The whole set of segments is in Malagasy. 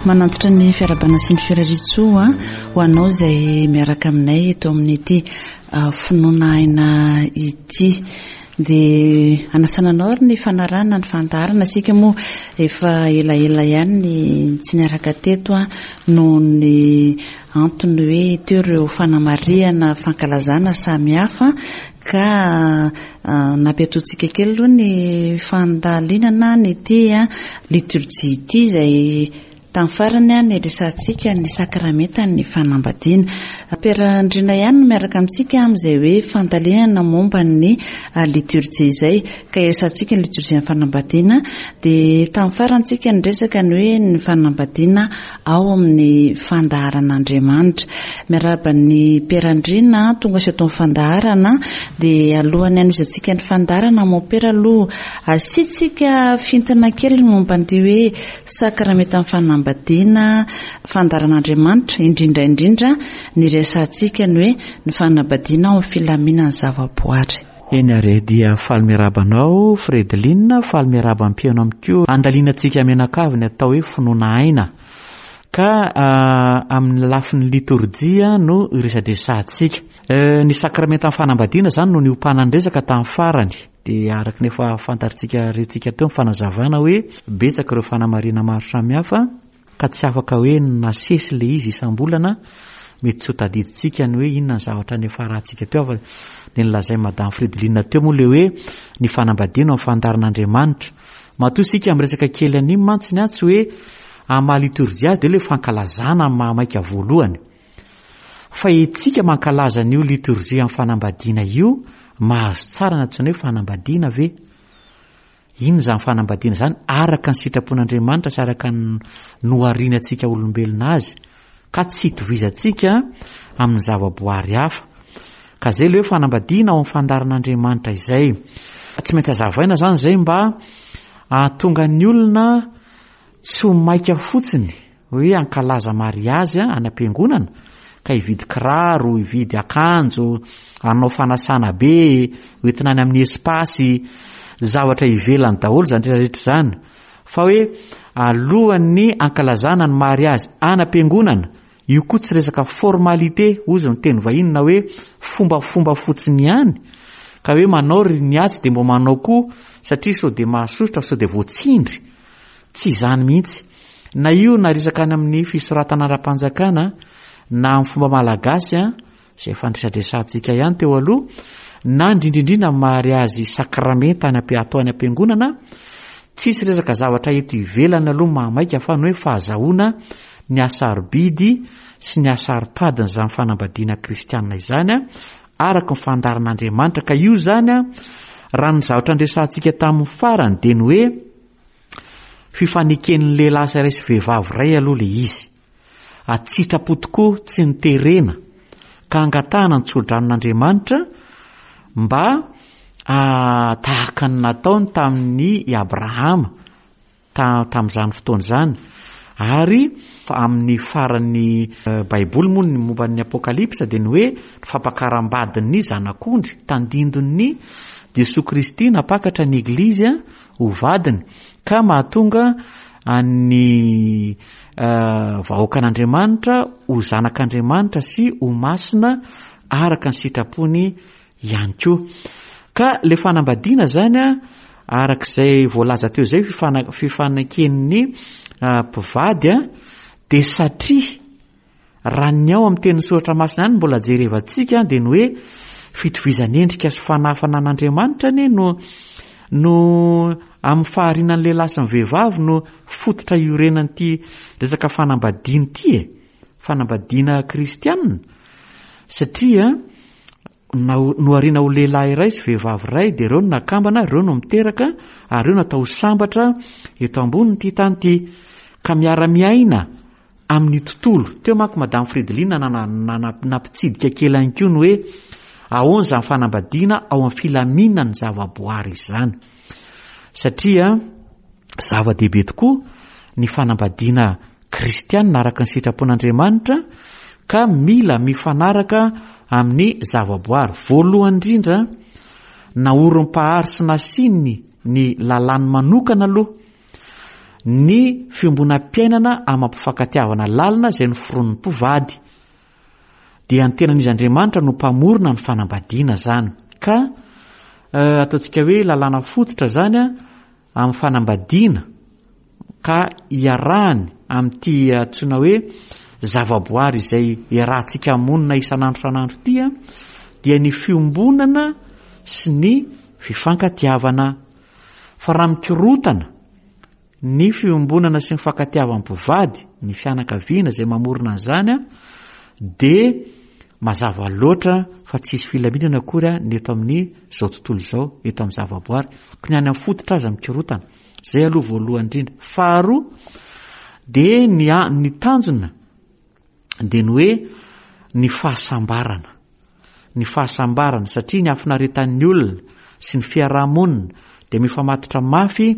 Manantitra ny fiarahabana sy ny firariantsoa ho anao izay miaraka aminay eto amin'ity finoana aina ity. Dia anasana anao ary ny fanarahana ny fandaharana. Isika moa efa elaela ihany ny tsy niaraka teto noho ny antony hoe teo ireo fanamarihana fankalazana samihafa ka nampiatoantsika kely aloha ny fandalinana ny ity liturjia ity izay Tamin'ny farany niresahantsika ny sakramentan'ny fanambadiana. Père Andriana ihany no miaraka amintsika amin'izay hoe fandalinana momba ny liturjia izay, ka iresahantsika ny liturjian'ny fanambadiana. Dia tamin'ny farany tsika niresaka ny hoe ny fanambadiana ao amin'ny fandaharan'Andriamanitra. Miarahaba ny Père Andriana tonga sy eto amin'ny fandaharana. Dia alohan'ny hanohizantsika ny fandaharana, mon père aloha asiantsika fintina kely ny momba an'ity hoe Sakramentan'ny fanambadiana, fandaharan'Andriamanitra, indrindra indrindra ny resahantsika ny hoe ny fanambadiana ao amin'ny filaminan'ny zavaboary. Eny ary e, dia faly miarahaba anao Fredeline, faly miarahaba ny mpihaino amiko koa. Andalinantsika mianakavy ny atao hoe finoana aina, ka amin'ny lafiny litorjia no iresadresahantsika. Ny sakramentan'ny fanambadiana izany no niompanan'ny resaka tamin'ny farany. Dia araka ny efa fantatritsika rentsika teo ny fanazavana hoe betsaka ireo fanamarihana maro samihafa ka tsy afaka hoe nasesy ilay izy isam-bolana, mety tsy ho tadidintsika ny hoe inona ny zavatra niafarantsika teo fa ny nolazain'i Madame Fridoline teo moa ilay hoe ny fanambadiana ao amin'ny fandaharan'Andriamanitra. Matoa isika miresaka kely an'iny mantsy ny tsy hoe amin'ny maha litorjia azy dia ilay fankalazana amin'ny maha maika voalohany. Fa itsika mankalaza an'io litorjia amin'ny fanambadiana io, mahazo tsara ny antsoina hoe fanambadiana ve? Inona izany fanambadiana izany araka ny sitrapon'Andriamanitra sy araka ny nohariany antsika olombelona azy, ka tsy itovizantsika amin'ny zavaboary hafa. Ka izay ilay hoe fanambadiana ao amin'ny fandaharan'Andriamanitra izay. Tsy maintsy hazavaina izany izay mba hahatonga ny olona tsy ho maika fotsiny hoe hankalaza mariazy any am-piangonana ka hividy kiraro, hividy akanjo, hanao fanasana be, hoentina any amin'ny espace, zavatra ivelany daholo izany rehetra rehetra izany. Fa hoe alohan'ny hankalazana ny mariazy any am-piangonana, io koa tsy resaka formalité, hozy ny teny vahiny na hoe fombafomba fotsiny ihany, ka hoe manao ry ny atsy dia mba manao koa satria sao dia mahasosotra, sao dia voatsindry. Tsy izany mihitsy. Na io na resaka any amin'ny fisoratana ara-panjakana na amin'ny fomba malagasy izay efa niresadresantsika ihany teo aloha, na indrindra indrindra amin'ny mariazy sakramenta any am-, atao any am-piangonana, tsisy resaka zavatra eto ivelany aloha mahamaika fa ny hoe fahazahoana ny hasarobidy sy ny hasaropadin'izany fanambadiana kristiana izany araka ny fandaharan'Andriamanitra. Ka io izany raha ny zavatra niresahantsika tamin'ny farany dia ny hoe Fifaneken'ny lehilahy iray sy vehivavy iray aloha ilay izy. An-tsitrapo tokoa, tsy noterena, ka angatahana ny tso-dranon'Andriamanitra mba tahaka ny nataony tamin'i Abrahama tamin'izany fotoana izany. Ary amin'ny faran'ny Baiboly moa ny momba ny Apokalypsa dia ny hoe ny fampakaram-badin'ny Zanak'ondry, tandindon'ny Jesoa Kristy nampakatra ny Eglizy ho vadiny ka mahatonga an'ny vahoakan'Andriamanitra ho zanak'Andriamanitra sy ho masina araka ny sitrapony ihany koa. Ka le fanambadiana zany a, arak'izay voalaza teo izay fifaneken'ny mpivady a, dia satria Raha ny ao amin'ny tenin'ny Soratra Masina ihany no mbola jerevantsika dia ny hoe fitovizan'endrika sy fanahafana an'Andriamanitra anie no no amin'ny fahariana ny lehilahy sy ny vehivavy no fototra iorenan'ity resaka fanambadiana ity e, fanambadiana kristianina, satria nohariana ho lehilahy iray sy vehivavy iray dia ireo no nakambana, ireo no miteraka ary ireo natao ho sambatra eto ambonin'ity tany ity ka miara-miaina amin'ny tontolo. Teo manko Madame Fridoline nampitsidika kely ihany koa ny hoe ahoana izany fanambadiana ao amin'ny filaminan'ny zavaboary izany. Satria zava-dehibe tokoa ny fanambadiana kristianina araka ny sitrapon'Andriamanitra ka mila mifanaraka amin'ny zavaboary. Voalohany indrindra, naorim-pahary sy nasiany ny lalàny manokana aloha. ny fiombonam-piainana amam-pifankatiavana lalina izay noforonin'ny mpivady. Dia ny tenan'izy Andriamanitra no mpamorona ny fanambadiana izany. Ka ataontsika hoe lalàna fototra izany amin'ny fanambadiana ka iarahany amin'ity antsoina hoe zavaboary izay iarahantsika monina isan'andro isan'andro ity dia ny fiombonana sy ny fifankatiavana. Fa raha mikorotana ny fiombonana sy ny fankatiavan'ny mpivady, ny fianakaviana izay mamorona an'izany dia mazava loatra fa tsy hisy filaminana akory ny eto amin'ny izao tontolo izao, eto amin'ny zavaboary. Koa ny any amin'ny fototra aza mikorotana. Izay aloha voalohany indrindra. Faharoa dia ny ny tanjona dia ny hoe ny fahasambarana. Ny fahasambarana satria ny hafinaretan'ny olona sy ny fiarahamonina dia mifamatotra mafy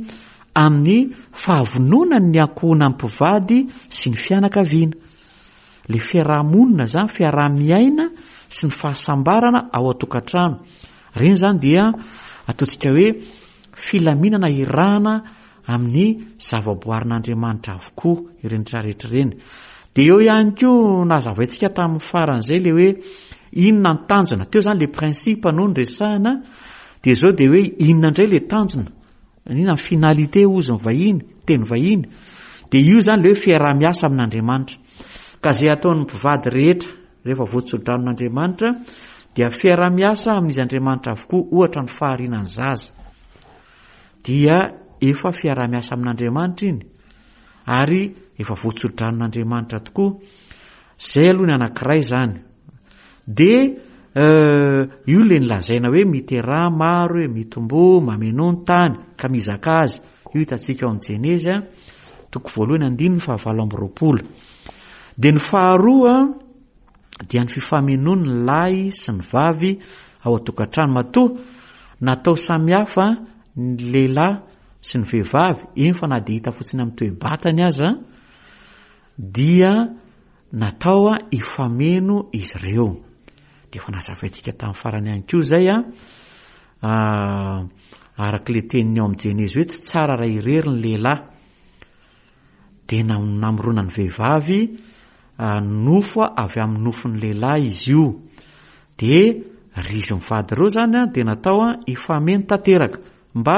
amin'ny fahavononan'ny ankohonan'ny mpivady sy ny fianakaviana. Le fiarahamonina zany, fiaraha-miaina sy ny fahasambarana ao an-tokantrano. Ireny zany dia ataontsika hoe filaminana irahana amin'ny zavaboarin'Andriamanitra avokoa ireny rehetra ireny. Dia eo ihany koa nazavaintsika tamin'ny faran'izay le hoe inona ny tanjona. Teo zany le principe no niresahana, dia izao dia hoe inona indray le tanjona. Inona ny finalité hozy ny vahiny, teny vahiny. Dia io zany le hoe fiaraha-miasa amin'Andriamanitra. Ka izay ataon'ny mpivady rehetra rehefa voatsodranon'Andriamanitra dia fiaraha-miasa amin'izy Andriamanitra avokoa, ohatra ny fahariana ny zaza. Dia efa fiaraha-miasa amin'Andriamanitra iny ary efa voatsodranon'Andriamanitra tokoa. Zay aloha ny anankiray zany. Dia io le nilazaina hoe miteraha maro e, mitomboa, mamenoa ny tany, ka mizaka azy. Io hitantsika ao amin'ny Jenezy a, toko voalohany andininy fahavalo amby roapolo. Dia ny faharoa dia ny fifamenoan'ny lahy sy ny vavy ao an-tokantrano. Matoa natao samihafa ny lehilahy sy ny vehivavy, eny fa na dia hita fotsiny amin'ny toe-batany aza, dia natao hifameno izy ireo. Dia efa nazavaintsika tamin'ny farany ihany koa izay a, araka ilay teniny ao amin'ny Jenezy hoe tsy tsara raha irery ny lehilahy. Dia namorona ny vehivavy nofo avy amin'ny nofon'ny lehilahy izy io. Dia ry izy mivady ireo izany dia natao hifameno tanteraka mba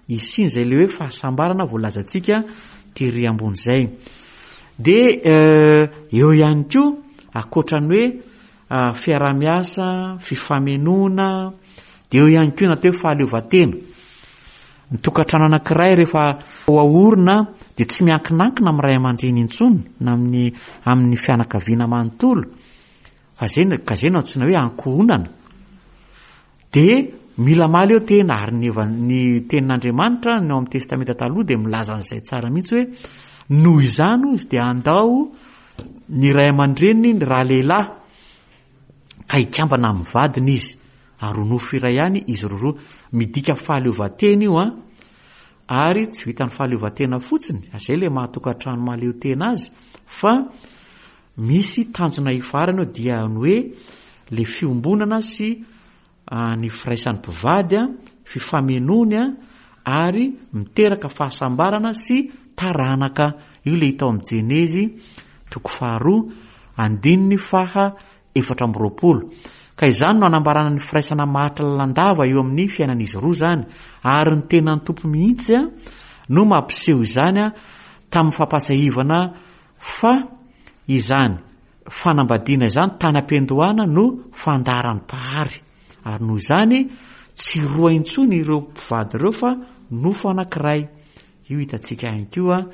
hisian'izay ilay hoe fahasambarana voalazantsika tery ambony izay. Dia eo ihany koa ankoatra ny hoe fiaraha-miasa, fifamenoana, dia eo ihany koa ny atao hoe fahaleovantena. Ny tokantrano anankiray rehefa ho aorina dia tsy miankinankina amin'ny ray aman-dreny intsony na amin'ny amin'ny fianakaviana manontolo fa zay ka zay no antsoina hoe ankohonana. Dia mila mahaleo tena ary ny ny tenin'Andriamanitra ny ao amin'ny Testamenta Taloha dia milaza an'izay tsara mihitsy hoe noho izany hozy dia andao ny ray aman-dreniny ny ralehilahy ka hikambana amin'ny vadiny izy ary ho nofo iray ihany izy roroa. Midika fahaleovantena io an, ary tsy vitan'ny fahaleovantena fotsiny, izay ilay maha tokantrano mahaleo tena azy, fa misy tanjona hifarana eo dia ny hoe le fiombonana sy ny firaisan'ny mpivady, fifamenoany ary miteraka fahasambarana sy taranaka. Io ilay hita ao amin'ny Jenezy toko faharoa andininy faha 24. Ka izany no anambarana ny firaisana maharitra lalandava eo amin'ny fiainan'izy roa izany, ary ny tenan'ny Tompo mihitsy no mampiseho izany tamin'ny fampahatsiahivana fa izany fanambadiana izany tany am-piandohana no fandaharan'ny Mpahary, ary noho izany tsy roa intsony ireo mpivady ireo fa nofo anankiray. Io hitantsika ihany koa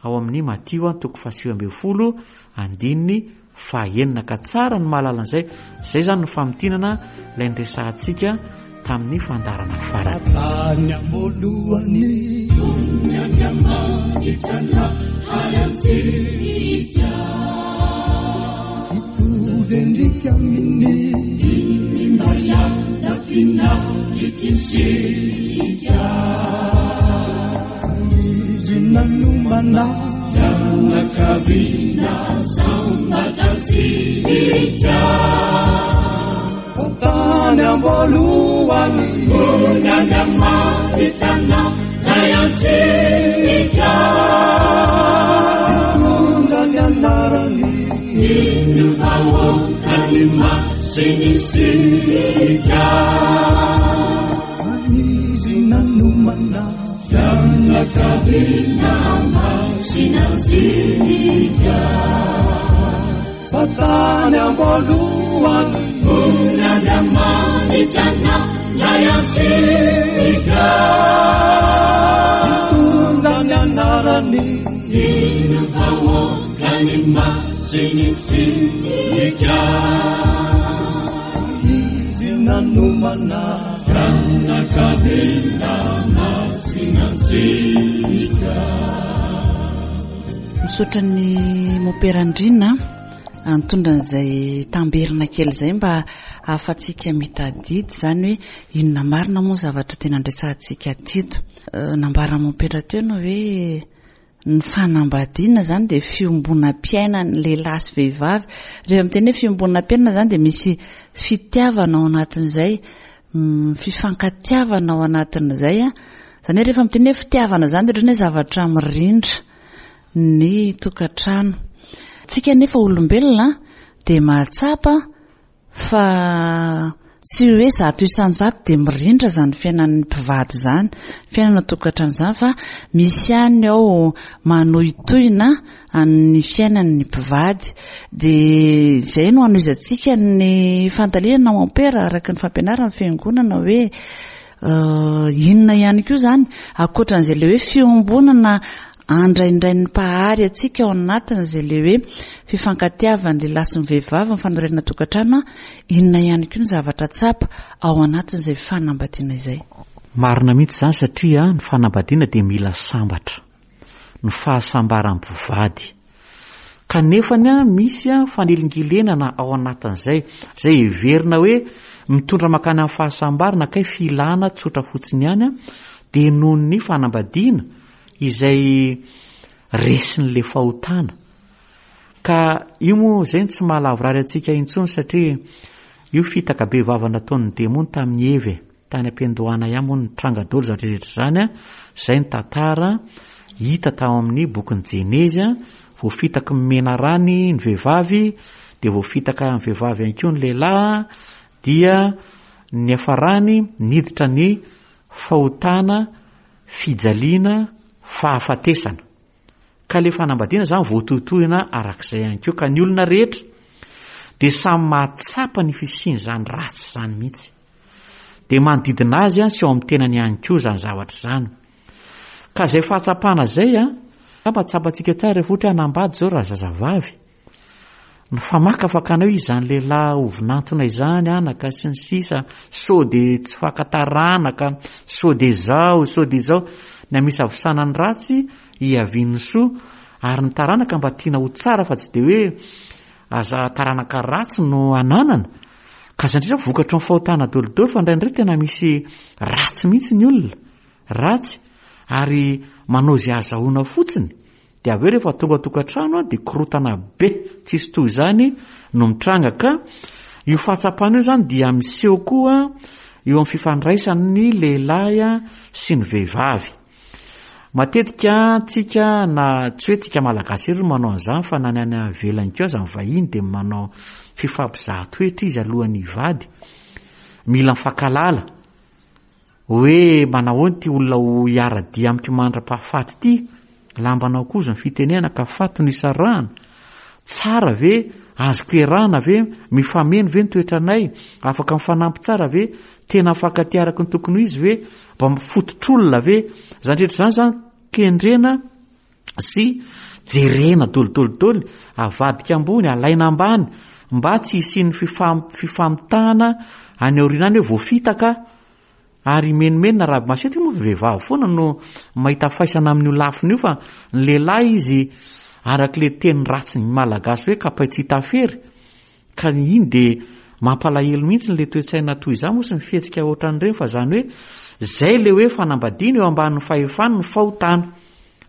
ao amin'ny Matio toko faha-19 andininy faha-enina ka tsara ny mahalala an'izay. Izay izany no famintinana ilay niresahantsika tamin'ny fandaharana farany. Tany am-boalohany. Hitovy endrika aminy. Izy nanomana. Fianakaviana sambatra antsika. Tany am-boalohany. Andriamanitra anay antsika. Vahoakany masina isika. Izy nanomana fianakaviana masina antsika. Fa tany am-boalohany Andriamanitra nandray antsika. Nitondra ny anarany Iny vahoakany masina isika. Izy nanomana fianakaviana masina antsika. Misaotra ny Mopera Andriana nitondra an'izay tamberina kely izay mba ahafatsika mitadidy izany hoe inona marina moa ny zavatra tena andresantsika teto. Nambaran'i Mopera teo ny hoe ny fanambadiana izany dia fiombonam-piainan'ny lehilahy sy vehivavy. Rehefa miteny hoe fiombonam-piainana izany dia misy fitiavana ao anatin'izay, fifankatiavana ao anatin'izay. Izany hoe rehefa miteny hoe fitiavana izany dia ohatran'ny hoe zavatra mirindra ny tokantrano. Tsika anefa olombelona dia mahatsapa fa tsy hoe 100% dia mirindra izany fiainan'ny mpivady izany, fiainana tokantrano izany fa misy ihany ao manohitohina ny fiainan'ny mpivady. Dia izay no hanohizantsika ny fandalinana mompera araka ny fampianaran'ny fiangonana hoe inona ihany koa izany ankoatran'izay ilay hoe fiombonana andraindrain'ny Mpahary antsika ao anatin'izay ilay hoe fifankatiavan'ny lehilahy sy ny vehivavy ny fanorenana tokantrano, inona ihany koa ny zavatra tsapa ao anatin'izay fanambadiana izay? Marina mihitsy izany satria ny fanambadiana dia mila sambatra, ny fahasambaran'ny mpivady. Kanefany misy fanelingelenana ao anatin'izay, izay heverina hoe mitondra mankany amin'ny fahasambarana kay filana tsotra fotsiny ihany dia noho ny fanambadiana izay resin'ilay fahotana. Ka io moa izay no tsy mahalavorary antsika intsony satria io fitaka be vava nataon'ny demony tamin'i Eva e. Tany am-piandohana ihany moa no nitranga daholo izany rehetra izany an, izay ny tantara hita tao amin'ny bokin'ny Jenezy an, voafitaky ny menarany ny vehivavy, dia voafitaka ny vehivavy ihany koa ny lehilahy, dia ny niafarany niditra ny fahotana, fijaliana, fahafatesana. Ka le fanambadiana zany voatohitohina arak'izay ihany koa ka ny olona rehetra dia samy mahatsapa ny fisian'izany ratsy izany mihitsy. Dia manodidina azy sy ao amin'ny tenany ihany koa izany zavatra izany. Ka izay fahatsapana izay an, angamba tsapantsika tsara rehefa ohatra hoe hanambady izao raha zazavavy. Ny famakafakana hoe izany lehilahy ho vinantona izany anaka sy ny sisa, sao dia tsy fakan-taranaka, sao dia izao, sao dia izao. Ny amisavisana ny ratsy, hiavian'ny soa, ary ny taranaka mba tiana ho tsara fa tsy dia hoe aza taranaka ratsy no ananana. Ka izany indrindra vokatry ny fahotana dolidoly fa indraindray tena misy ratsy mihitsy ny olona, ratsy ary manao izay ahazahoana fotsiny. Dia avy eo rehefa tonga an-tokantrano dia korotana be tsisy toy izany no mitranga ka io fahatsapana io izany dia miseho koa eo amin'ny fifandraisan'ny lehilahy sy ny vehivavy. Matetika tsika na tsy hoe tsika malagasy irery no manao an'izany fa na ny any ivelany koa aza ny vahiny dia manao fifampizahan-toetra izy alohan'ny hivady. Mila mifankahalala. Hoe manahoana ity olona ho hiara-dia amiko mandra-pahafaty ity? Lambanao koa izany fitenenana ka faty no isarahana. Tsara ve? Azoko iarahana ve? Mifameno ve ny toetranay? Afaka mifanampy tsara ve? Tena mifankatia araka ny tokony ho izy ve? Mba mifototr'olona ve? Izany rehetra izany izany kendrena sy jerena dolidoly avadika ambony, alaina ambany mba tsy hisian'ny fifamitahana any aoriana any hoe voafitaka ary himenomenona raha matetika moa vehivavy foana no mahita faisana amin'io lafiny io fa ny lehilahy izy arak'ilay teny ratsy ny malagasy hoe kapay tsy hita fery Ka ny iny dia mampalahelo mihitsy le toe-tsaina toy izany moa sy ny fihetsika ohatran'ireny fa zany hoe zay le hoe fanambadiana eo ambanin'ny fahefany ny fahotana.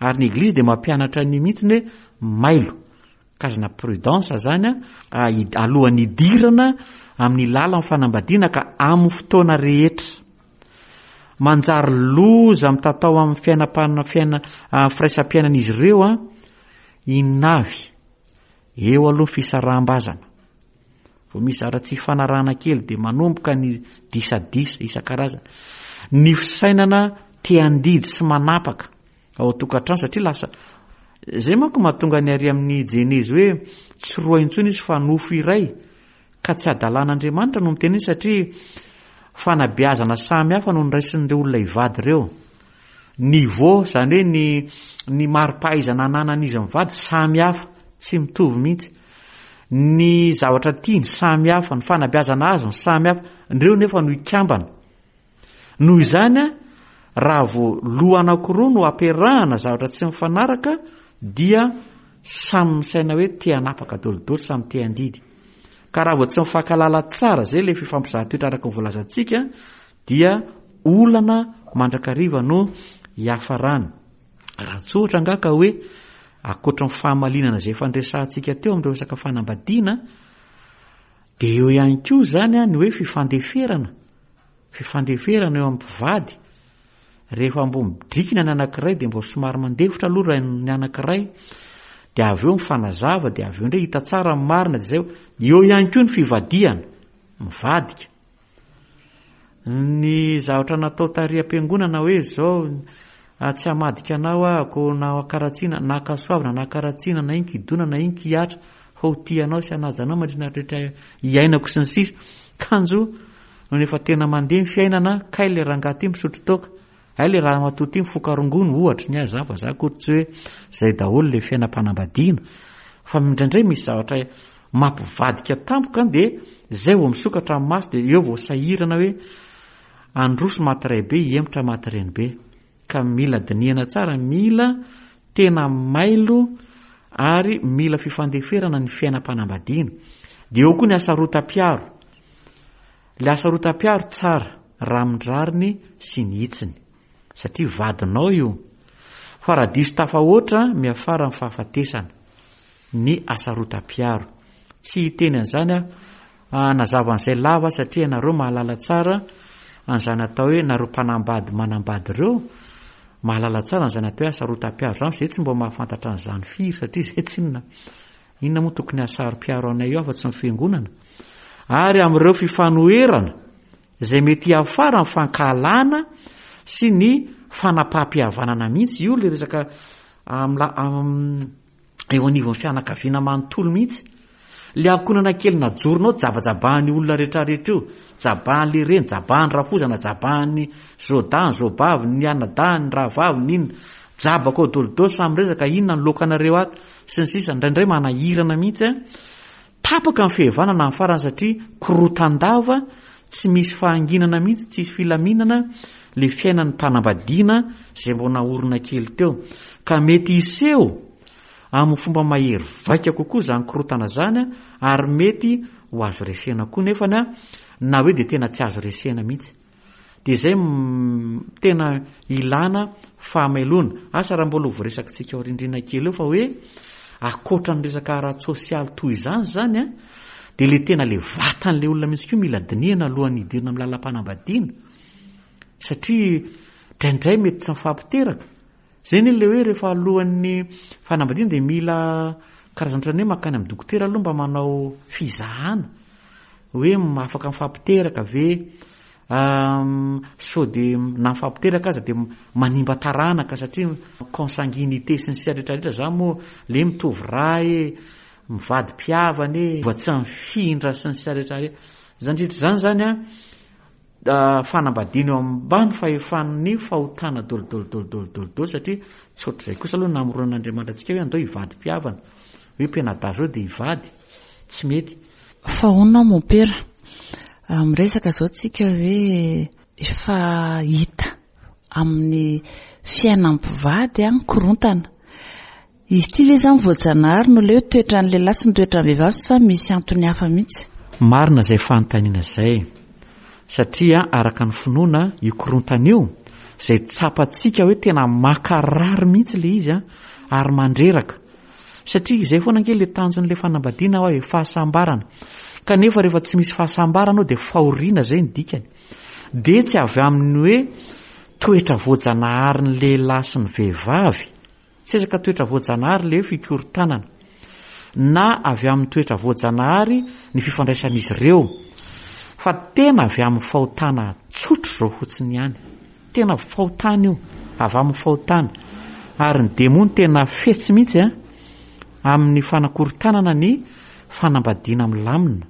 Ary ny eglizy dia mampianatra an'io mihitsy hoe mailo, karazana prudence zany an, alohan'ny hidirana amin'ny lalan'ny fanambadiana ka amin'ny fotoana rehetra. Manjary loza mitatao amin'ny fiainam-pana fiaina firaisam-piainan'izy ireo an, inona avy? Eo aloha ny fisaraham-bazana. Vao misy zara tsy ifanarahana kely dia manomboka ny disadisa isan-karazany. Ny fisainana te handidy sy manapaka ao an-tokantrano satria lasa izay manko mahatonga ny ary amin'ny Jenezy hoe tsy roa intsony izy fa nofo iray ka tsy adalan'Andriamanitra no miteny izy satria fanabeazana samy hafa no niraisin'ireo olona hivady ireo. Niveau, izany hoe ny ny mari-pahaizana ananan'izy mivady samy hafa, tsy mitovy mihitsy. Ny zavatra tiany samy hafa, ny fanabeazana azony samy hafa, ireo nefa no hikambana. Noho izany, raha vao loha anankiroa no ampiarahana zavatra tsy mifanaraka dia samy misaina hoe te hanapaka dolidoly, samy te handidy. Ka raha vao tsy mifankahalala tsara, izay ilay fifampizahan-toetra araka ny voalazantsika, dia olana mandrakariva no hiafarany. Raha tsotra angaha ka hoe ankoatra ny fahamalinana izay efa niresahantsika teo amin'ireo resaka fanambadiana, dia eo ihany koa izany ny hoe fifandeferana, fifandeferana eo amin'ny mpivady. Rehefa mbo midrikina ny anankiray dia mbo somary mandefitra aloha raha ny anankiray, dia avy eo mifanazava, dia avy eo indray hita tsara ny marina, dia izay. Eo ihany koa ny fivadihana, mivadika. Ny zavatra natao tary am-piangonana hoe izao tsy hamadika anao aho na ankaratsiana na ankasoavina na ankaratsiana na inon-kidona na inon-kihatra fa ho tia anao sy hanaja anao mandritra ny rehetra iainako sy ny sisa kanjo nony efa tena mandeha ny fiainana kay le rangahy ty misotro toaka Hay le ramatoa ty mifoka rongony ohatry ny ahy zany fa za akory tsy hoe zay daholo le fiainam-panambadiana fa indraindray misy zavatra mampivadika tampoka de zay vao misokatra ny maso de eo vao sahirana hoe androso maty ray be hihemotra maty reny be ka mila dinihana tsara mila tena mailo ary mila fifandeferana ny fiainam-panambadiana de eo koa ny hasarotam-piaro Ilay hasarotam-piaro tsara raha amin'ny rariny sy ny hitsiny, satria vadinao io. Fa raha diso tafahoatra, miafara amin'ny fahafatesana ny hasarotam-piaro. Tsy hiteny an'izany aho, hanazava an'izay lava satria ianareo mahalala tsara an'izany atao hoe nareo mpanambady manambady ireo, mahalala tsara an'izany atao hoe hasarotam-piaro izany, fa izay tsy mba mahafantatra an'izany firy satria izay tsinona Inona moa tokony hahasaro-piaro anay eo afa-tsy ny fiangonana? Ary amin'ireo fifanoherana izay mety hiafara amin'ny fankahalana sy ny fanapaham-pihavanana mihitsy, io ilay resaka eo anivon'ny fianakaviana manontolo mihitsy. Ilay ankohonana kely najoronao jabajabahan'ny olona rehetrarehetra io, jabahan'ilay reny, jabahan'ny rafozana, jabahan'ny zaodahiny, zaobavy, ny anadahiny, ny rahavavy, ny inona. Jabaka ao dolidoly samy miresaka inona ny lokanareo ato. sy ny sisa Indraindray manahirana mihitsy an! Tapaka ny fihavanana amin'ny farany satria korotan-dava, tsy misy fahanginana mihitsy, tsisy filaminana le fiainan'ny mpanambadiana izay mbo naorina kely teo. Ka mety hiseho amin'ny fomba mahery vaika kokoa izany korotana izany ary mety ho azo resena koa nefany an, na hoe dia tena tsy azo resena mihitsy. Dia izay tena ilana fahamelona. Asa raha mbola ho voaresakitsika ao rindrina kely eo fa hoe ankoatra ny resaka ara-tsosialy toy izany izany an, dia le tena le vatan'le olona mihitsy koa mila dinihana alohan'ny hidirana amin'ny lalam-panambadiana. Satria indraindray mety tsy mifampiteraka. Izay anie le hoe rehefa alohan'ny fanambadiana dia mila karazana ohatran'ny hoe mankany amin'ny dokotera aloha mba manao fizahana hoe afaka mifampiteraka ve sao dia na mifampiteraka aza dia manimba taranaka satria consanguinité sy ny sisa rehetra rehetra zany moa le mitovy rà e, mivady mpihavana e, mba tsy mifindra sy ny sisa rehetra rehetra. Izany rehetra izany zany an fanambadiana eo ambany fahefan'ny fahotana dolidoly satria tsy ohatr'izay kosa aloha namoronan'Andriamanitra antsika hoe andao hivady mpihavana hoe mpianadahy zao dia hivady tsy mety. Fa ahoana mompera? Miresaka izao tsika hoe efa hita amin'ny fiainan'ny mpivady ny korontana. Izy ity ve izany voajanahary no ilay hoe toetran'ny lehilahy sy ny toetran'ny vehivavy sa misy antony hafa mihitsy? Marina izay fanontaniana izay satria araka ny finoana io korontana io izay tsapantsika hoe tena mankarary mihitsy ilay izy ary mandreraka satria izay foana ange ilay tanjon'ilay fanambadiana hoa e fahasambarana kanefa rehefa tsy misy fahasambarana ao dia fahoriana izay ny dikany dia tsy avy amin'ny hoe toetra voajanaharin'ny lehilahy sy ny vehivavy Tsy resaka toetra voajanahary ilay hoe fikorontanana. na avy amin'ny toetra voajanahary ny fifandraisan'izy ireo, fa tena avy amin'ny fahotana tsotra izao fotsiny ihany. Tena fahotana io, avy amin'ny fahotana. Ary ny demony tena fetsy mihitsy an, amin'ny fanakorontanana ny fanambadiana milamina.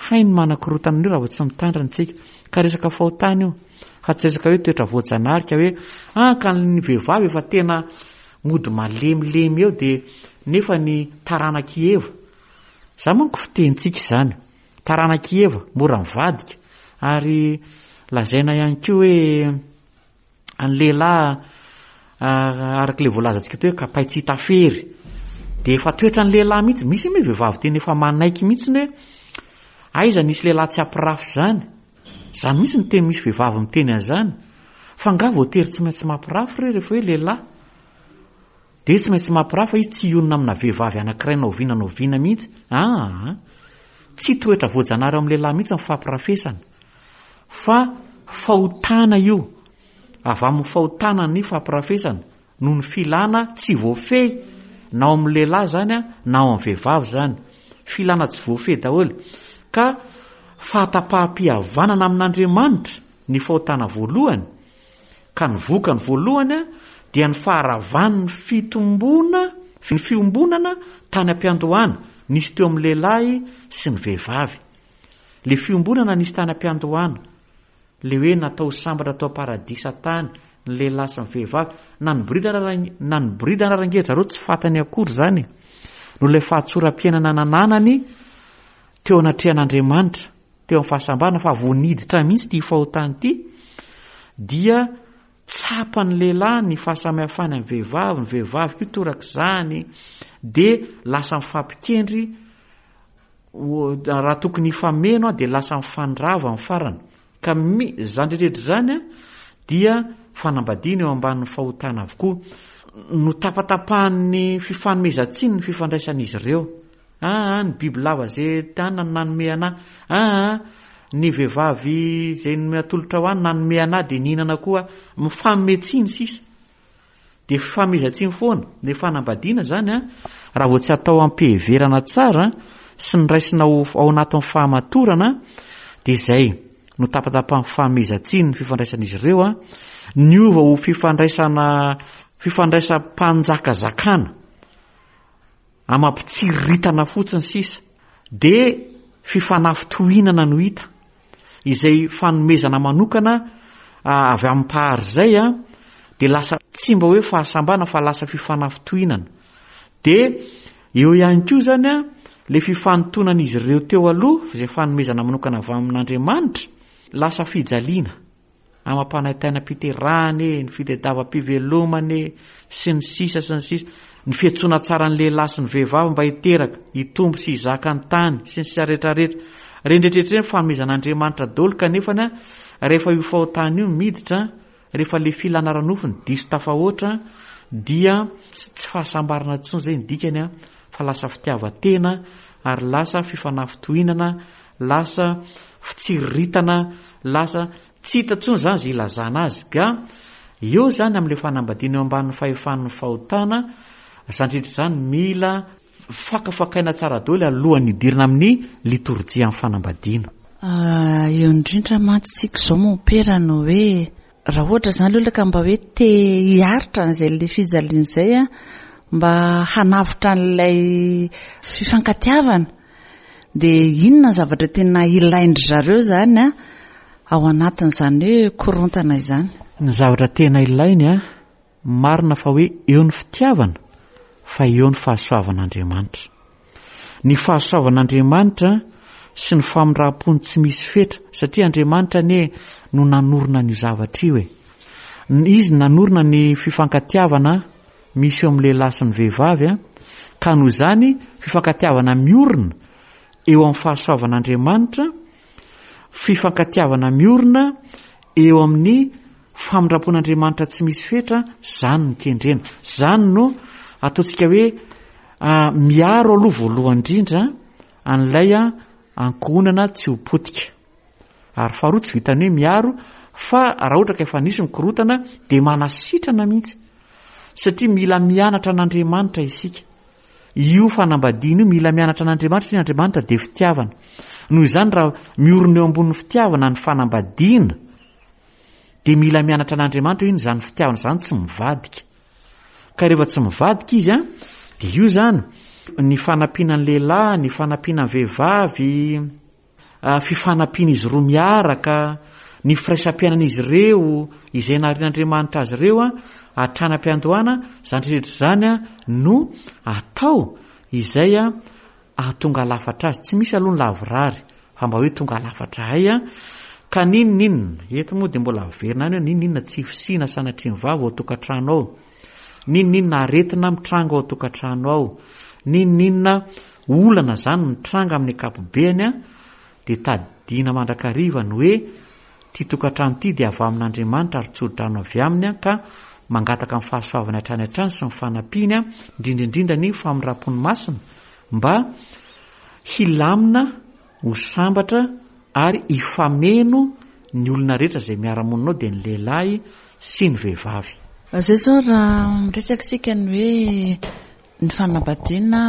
Hainy manakorontana an'io raha vao tsy mitandrina isika. Ka resaka fahotana io, fa tsy resaka hoe toetra voajanahary ka hoe ah ka ny vehivavy efa tena mody malemilemy eo dia nefa ny taranak'i Eva. Izany manko fitenintsika izany. Taranak'i Eva, mora mivadika. Ary lazaina ihany koa hoe Ny lehilahy araka ilay voalazantsika teo hoe kapay tsy hita fery dia efa toetran'ny lehilahy mihitsy, misy moa vehivavy tena efa manaiky mihitsy hoe aiza nisy lehilahy tsy hampirafy izany, izany mihitsy ny teny misy vehivavy miteny an'izany, fa angaha voatery tsy maintsy mampirafy re rehefa hoe lehilahy? Dia tsy maintsy mampirafy fa izy tsy hionona amina vehivavy anankiray na oviana na oviana mihitsy, aa tsy toetra voajanahary ao amin'ny lehilahy mihitsy ny fampirafesana. Fa fahotana io, avy amin'ny fahotana ny fampirafesana, noho ny filana tsy voafehy, na ao amin'ny lehilahy izany na ao amin'ny vehivavy izany. Filana tsy voafehy daholo. Ka fahatapaham-pihavanana amin'Andriamanitra ny fahotana voalohany, ka ny vokany voalohany dia ny faharavan'ny fitomboana, ny fiombonana tany am-piandohana nisy teo amin'ny lehilahy sy ny vehivavy. Le fiombonana nisy tany am-piandohana, le hoe natao ho sambatra tao am-paradisa tany ny lehilahy sy ny vehivavy, na niboridana ara na niboridana ara ange zareo tsy fantany akory izany e! Noho ilay fahatsoram-piainana nananany teo anatrehan'Andriamanitra, teo amin'ny fahasambarana fa vao niditra mihitsy ity fahotana ity dia tsapan'ny lehilahy ny fahasamihafany amin'ny vehivavy, ny vehivavy koa torak'izany, dia lasa mifampikendry Raha tokony hifameno dia lasa mifandrava ny farany. Ka mi, izany rehetra izany dia fanambadiana eo ambanin'ny fahotana avokoa. Notapatapahan'ny fifanomezan-tsiny ny fifandraisan'izy ireo. Aa, ny bibilava izay tany no nanome anà. Aa, ny vehivavy izay natolotra ho ahy no nanome anà dia nihinana koa aho. Mifanome tsiny sisa. Dia fifanomezan-tsiny foana. Ilay fanambadiana izany an, raha vao tsy atao am-piheverana tsara sy ny raisina ho ao anatin'ny fahamatorana dia izay no tapatapahan'ny fanomezan-tsiny ny fifandraisan'izy ireo an, niova ho fifandraisana fifandraisam-panjakazakana. Amam-pitsiriritana fotsiny sisa. Dia fifanafintohinana no hita. Izay fanomezana manokana avy amin'ny Mpahary izay dia lasa tsy mba hoe fahasambana fa lasa fifanafintohinana. Dia eo ihany koa izany ilay fifanintonan'izy ireo teo aloha, izay fanomezana manokana avy amin'Andriamanitra, lasa fijaliana. amam-panaintainam-piterahana e, ny fitadiavam-pivelomana e, sy ny sisa sy ny sisa, ny fiantsoana tsara ny lehilahy sy ny vehivavy mba hiteraka, hitombo sy hizaka ny tany, sy ny sisa rehetra rehetra. Ireny rehetra ireny fanomezan'Andriamanitra daholo kanefa ny rehefa io fahotana io miditra, rehefa le filana ara-nofo ny diso tafahoatra dia tsy fahasambarana intsony izay ny dikany fa lasa fitiavan-tena ary lasa fifanafintohinana lasa fitsiriritana, lasa tsy hita intsony izany izay ilazana azy. Ka eo izany amin'ilay fanambadiana eo ambanin'ny fahefan'ny fahotana, izany rehetra izany mila fakafakaina tsara daholo alohan'ny hidirana amin'ny litorjian'ny fanambadiana. Eo indrindra mantsy isika izao mompera no hoe Raha ohatra izany ilay olona ka mba hoe te hiaritra an'izay ilay fijaliana izay an, mba hanavotra an'ilay fifankatiavana, dia inona ny zavatra tena ilain-dry zareo izany an, ao anatin'izany hoe korontana izany? Ny zavatra tena ilainy an, Marina fa hoe eo ny fitiavana fa eo ny fahasoavan'Andriamanitra. Ny fahasoavan'Andriamanitra sy ny famindram-pony tsy misy fetra satria Andriamanitra anie no nanorina an'io zavatra io e. Izy nanorina ny fifankatiavana misy eo amin'ny lehilahy sy ny vehivavy ka noho izany fifankatiavana miorina eo amin'ny fahasoavan'Andriamanitra, fifankatiavana miorina eo amin'ny Famindram-pon'Andriamanitra tsy misy fetra, izany no kendrena. Izany no ataontsika hoe miaro aloha voalohany indrindra an'ilay ankohonana tsy ho potika. Ary faharoa tsy vitan'ny hoe miaro fa raha ohatra ka efa nisy ny korontana dia manasitrana mihitsy. Satria mila mianatra an'Andriamanitra isika. Io fanambadiana io mila mianatra an'Andriamanitra satria Andriamanitra dia fitiavana. Noho izany raha miorina eo ambonin'ny fitiavana ny fanambadiana dia mila mianatra an'Andriamanitra hoe inona izany fitiavana izany tsy mivadika. Ka rehefa tsy mivadika izy an, dia io izany ny fanampiana ny lehilahy, ny fanampiana ny vehivavy, fifanampian'izy roa miaraka, ny firaisam-piainan'izy ireo, izay naharian'Andriamanitra azy ireo hatrany am-piandohana, izany rehetra izany no atao izay hahatonga lafatra azy. Tsy misy aloha ny lavorary fa mba hoe tonga lafatra hay ka n'inon'inona, eto moa dia mbola averina any hoe n'inon'inona tsy fisiana sanatria ny vava ao an-tokantrano ao, n'inon'inona aretina mitranga ao an-tokantrano ao, n'inon'inona olana izany mitranga amin'ny ankapobeny dia tadidiana mandrakariva ny hoe ity tokantrano ity dia avy amin'Andriamanitra ary tso-drano avy aminy ka mangataka ny fahasoavany hatrany hatrany sy ny fanampiany indrindra indrindra ny famindram-pony masina mba hilamina ho sambatra ary hifameno ny olona rehetra izay miara-monina ao dia ny lehilahy sy ny vehivavy. Izay izao raha miresaka isika ny hoe Ny fanambadiana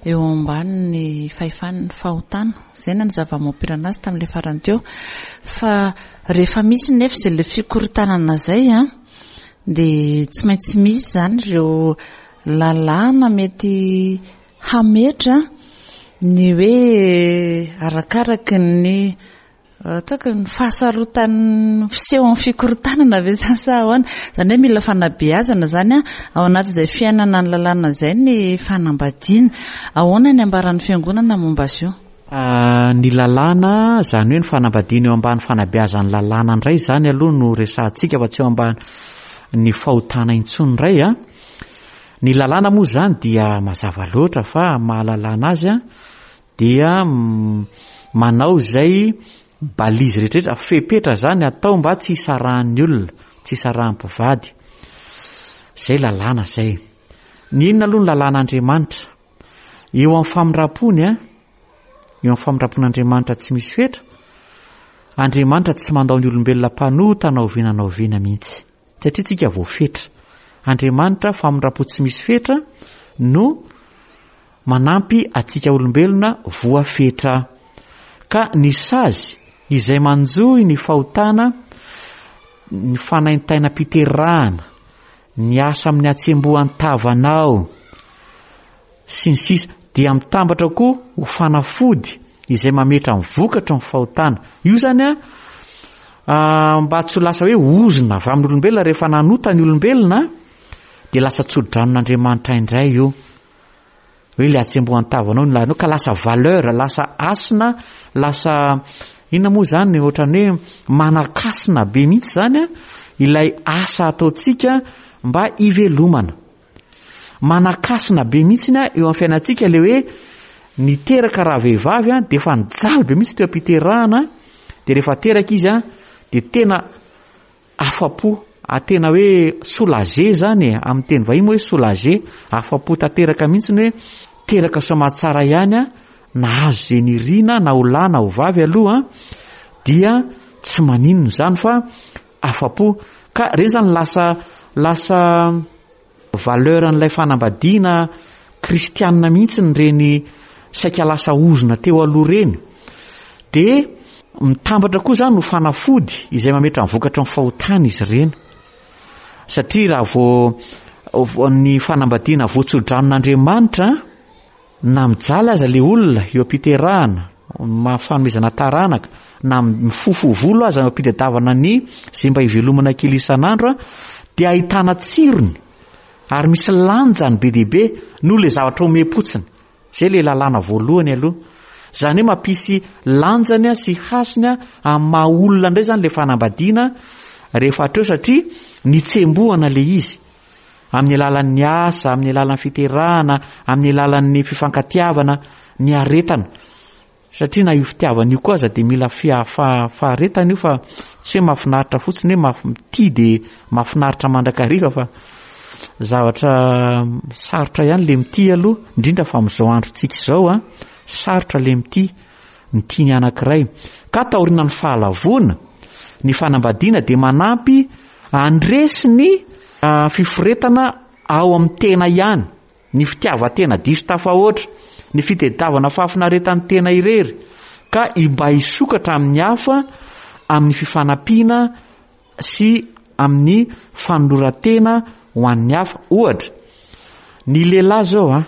eo ambanin'ny fahefan'ny fahotana. Izay no zava-mampirana azy tamin'ilay farany teo. Fa rehefa misy nefa izay ilay fikorontanana izay an, dia tsy maintsy misy izany ireo lalàna mety hametra ny hoe arakaraky ny Ataoko ny fahasarotan'ny fisehon'ny fikorontanana ve izany sa ahoana? Izany hoe mila fanabeazana izany ao anatin'izay fiainana ny lalàna izay ny fanambadiana. Ahoana ny ambaran'ny fiangonana momba azy io? Ny lalàna, izany hoe ny fanambadiana eo ambany fanabeazan'ny lalàna indray izany aloha no resahantsika fa tsy eo ambany ny fahotana intsony indray an. Ny lalàna moa izany dia mazava loatra fa amin'ny maha lalàna azy an, dia manao izay balise rehetrarehetra, fepetra zany atao mba tsy hisarahan'ny olona, tsy hisarahan'ny mpivady. Zay lalàna zay. Ny inona aloha ny lalàn'Andriamanitra? Eo amin'ny famindram-pony a, eo amin'ny famindram-pon'Andriamanitra tsy misy fetra, Andriamanitra tsy mandao ny olombelona mpanota na oviana na oviana mihitsy. Satria tsika voafetra. Andriamanitra famindram-po tsy misy fetra no manampy antsika olombelona voafetra. Ka ny sazy izay manjohy ny fahotana, ny fanaintainam-piterahana, ny asa amin'ny hatsembohan-tavanao, sy ny sisa dia mitambatra koa ho fanafody izay mametra ny vokatry ny fahotana. Io izany an, mba tsy ho lasa hoe ozona avy amin'ny olombelona rehefa nanota ny olombelona dia lasa tso-dranon'Andriamanitra indray io. Hoe ilay hatsembohan-tavanao no lahinao ka lasa valeur, lasa hasina, lasa inona moa izany ohatran'ny hoe manan-kasina be mihitsy izany an, ilay asa ataontsika mba hivelomana. Manan-kasina be mihitsy eo amin'ny fiainantsika ilay hoe niteraka rahavehivavy dia efa nijaly be mihitsy teo am-piterahana dia rehefa teraka izy dia tena afa-po, tena hoe soulagé zany e, amin'ny teny vahiny moa hoe soulagé, afa-po tanteraka mihitsy ny hoe teraka soamatsara ihany a, nahazo izay nirina na ho lahy na ho vavy aloha dia tsy maninona izany fa afa-po. Ka ireny zany lasa lasa valeur an'ilay fanambadiana kristianina mihitsy ireny saika lasa ozona teo aloha ireny. Dia mitambatra koa zany ho fanafody izay mametra ny vokatry ny fahotana izy ireny. Satria raha vao ny fanambadiana voatsodranon'Andriamanitra Na mijaly aza le olona eo am-piterahana, maha fanomezana taranaka, na mifofo volo aza eo am-pitadiavana ny izay mba hivelomana kely isan'andro dia ahitana tsirony ary misy lanjany be dia be noho le zavatra omem-potsiny. Zay le lalàna voalohany aloha. Zany hoe mampisy lanjany sy hasiny amin'ny maha olona indray zany le fanambadiana rehefa hatreo satria nitsembohana le izy. Amin'ny alalan'ny asa, amin'ny alalan'ny fiterahana, amin'ny alalan'ny fifankatiavana, ny aretana. Satria na io fitiavana io koa aza dia mila faharetana io fa tsy hoe mahafinaritra fotsiny hoe mitia dia mahafinaritra mandrakariva fa zavatra sarotra ihany le mitia aloha, indrindra fa amin'izao androntsika izao an, sarotra le mitia, mitia ny anankiray. Ka taorian'ny fahalavoana, ny fanambadiana dia manampy handresy ny fiforetana ao amin'ny tena ihany. ny fitiavan-tena diso tafahoatra, ny fitediavana fahafinaretan'ny tena irery, ka mba hisokatra amin'ny hafa amin'ny fifanampiana sy amin'ny fanoloran-tena ho an'ny hafa. Ohatra, ny lehilahy izao an,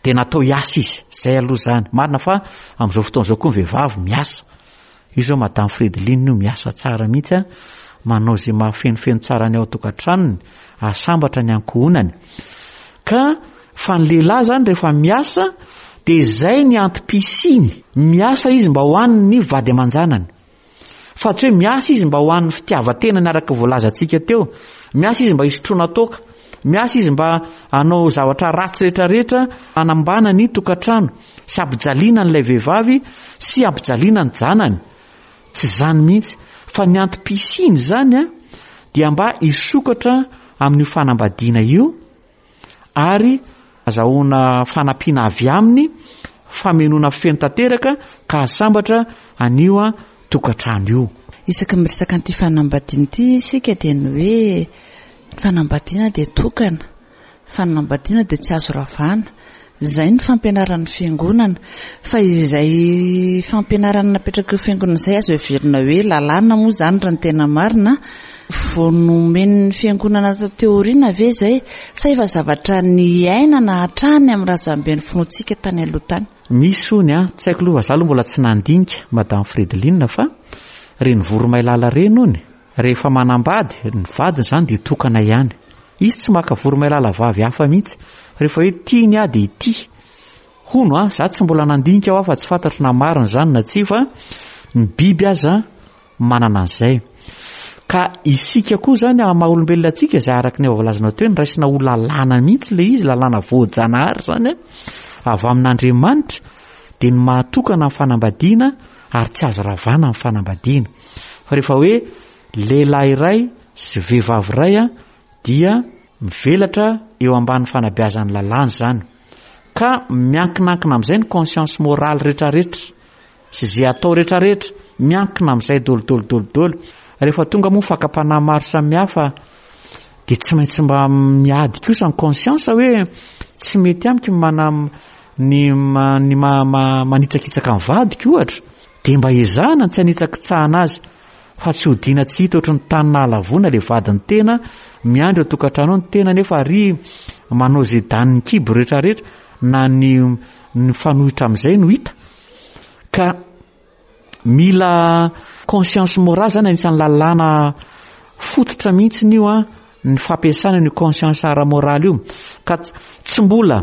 dia natao hiasa izy, izay aloha izany. Marina fa amin'izao fotoana izao koa ny vehivavy miasa. Io izao Madame Fredeline io miasa tsara mihitsy an, manao izay mahafenofeno tsara ny ao an-tokantranony, hahasambatra ny ankohonany. Ka fa ny lehilahy izany rehefa miasa dia izay ny antom-pisiany. Miasa izy mba ho an'ny vady aman-janany. Fa tsy hoe miasa izy mba ho an'ny fitiavan-tenany araka voalazantsika teo. Miasa izy mba hisotroana toaka. Miasa izy mba hanao zavatra ratsy rehetrarehetra hanambana ny tokantrano sy hampijaliana an'ilay vehivavy sy hampijaliana ny janany. Tsy izany mihitsy. Fa ny antom-pisiany izany dia mba hisokatra amin'io fanambadiana io ary azahoana fanampiana avy aminy, famenoana feno tanteraka ka hahasambatra an'io tokantrano io. Isaky ny miresaka an'ity fanambadiana ity isika dia ny hoe fanambadiana dia tokana, fanambadiana dia tsy azo ravana. Izay ny fampianaran'ny fiangonana. Fa izay fampianarana napetrak'io fiangonana izay azo heverina hoe lalàna moa izany raha ny tena marina. Vao nomen'ny fiangonana taty aoriana ve izay sa efa zavatra niainana hatrany amin'ny razamben'ny finoantsika tany aloha tany? Misy hono an, tsy haiko aloha fa za aloha mbola tsy nandinika Madame Fredeline fa reny voromailala reny hono rehefa manambady, ny vadiny izany dia tokana ihany. Izy tsy maka voromailala vavy hafa mihitsy. Rehefa hoe tiany aho dia ity. Hono an, za tsy mbola nandinika aho fa tsy fantatro na marina izany na tsia fa ny biby aza manana an'izay. Ka isika koa izany amin'ny maha olombelona antsika izay araka ny efa voalazanao teo hoe noraisina ho lalàna mihitsy ilay izy, lalàna voajanahary izany an, avy amin'Andriamanitra dia ny mahatokana ny fanambadiana ary tsy azo ravana ny fanambadiana. Fa rehefa hoe lehilahy iray sy vehivavy iray dia mivelatra eo ambany fanabeazan'ny lalàna izany. Ka miankinankina amin'izay ny conscience morale rehetrarehetra sy izay atao rehetrarehetra, miankina amin'izay daholo daholo daholo daholo. Rehefa tonga moa fakam-panahy maro samihafa dia tsy maintsy mba miady kosa ny conscience hoe tsy mety amiko ny mana ny ny manitsakitsaka ny vadiko ohatra. Dia mba ezahana ny tsy hanitsakitsahana azy fa tsy hodiana tsy hita ohatry ny tany nahalavoana ilay vadin'ny tena, miandry ao an-tokantrano ao ny tena nefa ary manao izay danin'ny kibo rehetrarehetra na ny mifanohitra amin'izay no hita. Ka mila conscience morale zany anisan'ny lalàna fototra mihitsy io an, ny fampiasana an'io conscience ara-moraly io. Ka tsy mbola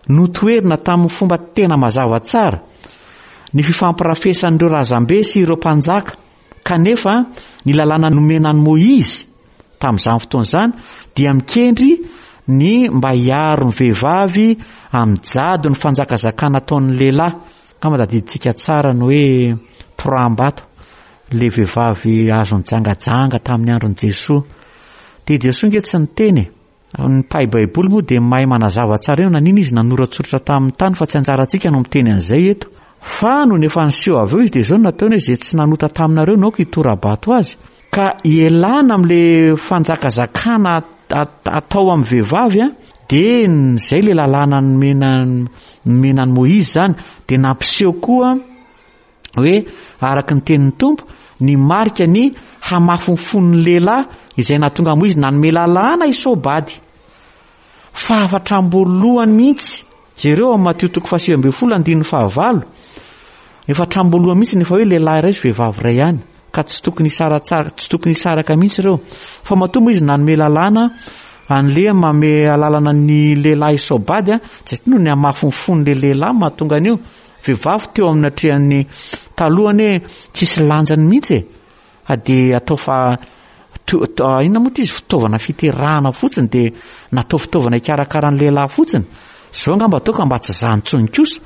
notoherina tamin'ny fomba tena mazava tsara ny fifampirafesan'ireo razambe sy ireo mpanjaka, kanefa ny lalàna nomena an'i Môizy tamin'izany fotoana izany dia mikendry ny mba hiaro ny vehivavy amin'ny jadon'ny fanjakazakana ataon'ny lehilahy. Angamba tadidintsika tsara ny hoe toraham-bato ilay vehivavy azo nijangajanga tamin'ny andron'i Jesoa. Dia Jesoa ange tsy niteny e. Ny mpahay Baiboly moa dia mahay manazava tsara eo nanina izy nanoratsoratra tamin'ny tany fa tsy anjarantsika no miteny an'izay eto. Fa nony efa niseho avy eo izy dia izao no nataony hoe izay tsy nanota taminareo no aoka hitora-bato azy. Ka ialana amin'ilay fanjakazakana atao amin'ny vehivavy an, dia izay ilay lalàna nomena nomena an'i Moizy izany, dia nampiseho koa hoe araka ny tenin'ny Tompo ny marika ny hamafin'ny fon'ny lehilahy izay nahatonga an'i Moizy nanome lalàna hisaobady. Fa hatramin'ny mihitsy, jereo amin'ny Matio toko faha 19 andininy fahavalo, efa hatramin'ny mihitsy ny efa hoe lehilahy iray sy vehivavy iray ihany, ka tsy tokony hisaratsara, tsy tokony hisaraka mihitsy ireo. Fa matoa moa izy nanome lalàna an'le manome alalana ny lehilahy hisaobady, tsy noho ny hamafin'ny fon'le lehilahy mahatonga an'io. Vehivavy teo amin'ny natrehan'ny taloha anie tsisy lanjany mihitsy e. Fa dia atao fa inona moa ity izy fitaovana fiterahana fotsiny dia natao fitaovana hikarakara ny lehilahy fotsiny. Izao angamba atao ka mba tsy zany intsony kosa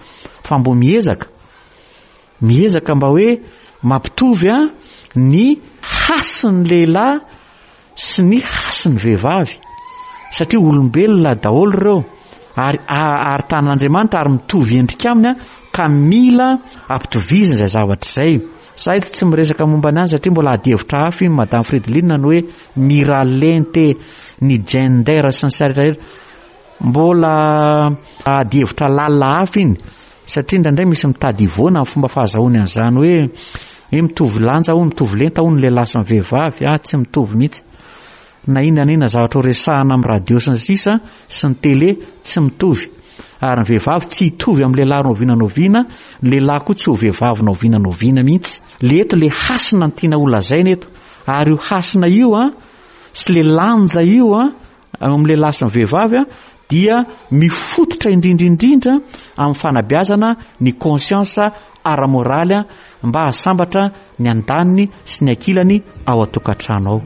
fa mbo miezaka. Miezaka mba hoe mampitovy a ny hasin'ny lehilahy sy ny hasin'ny vehivavy satria olombelona daholo ireo ary ary tanan'Andriamanitra ary mitovy endrika aminy ka mila ampitovizina izay zavatra izay. Za eto tsy miresaka momba ny any satria mbola ady hevitra hafa iny Madame Fridoline ny hoe miralente, ny gender sy ny sisa rehetra rehetra. Mbola adihevitra lalina hafa iny satria indraindray misy mitady hivoana amin'ny fomba fahazahoany an'izany hoe hoe mitovy lanja hono, mitovy lenta hono ny lehilahy sy ny vehivavy. Ah, tsy mitovy mihitsy. Na inona na inona zavatra ho resahana amin'ny radio sy ny sisa sy ny télé, tsy mitovy. Ary ny vehivavy tsy hitovy amin'ny lehilahy na oviana na oviana, ny lehilahy koa tsy ho vehivavy na oviana na oviana mihitsy. Le eto le hasina no tiana holazaina eto. Ary io hasina io an, sy le lanja io an, eo amin'ny lehilahy sy ny vehivavy an, dia mifototra indrindra indrindra amin'ny fanabeazana ny conscience ara-moraly mba hahasambatra ny andaniny sy ny ankilany ao an-tokantrano ao.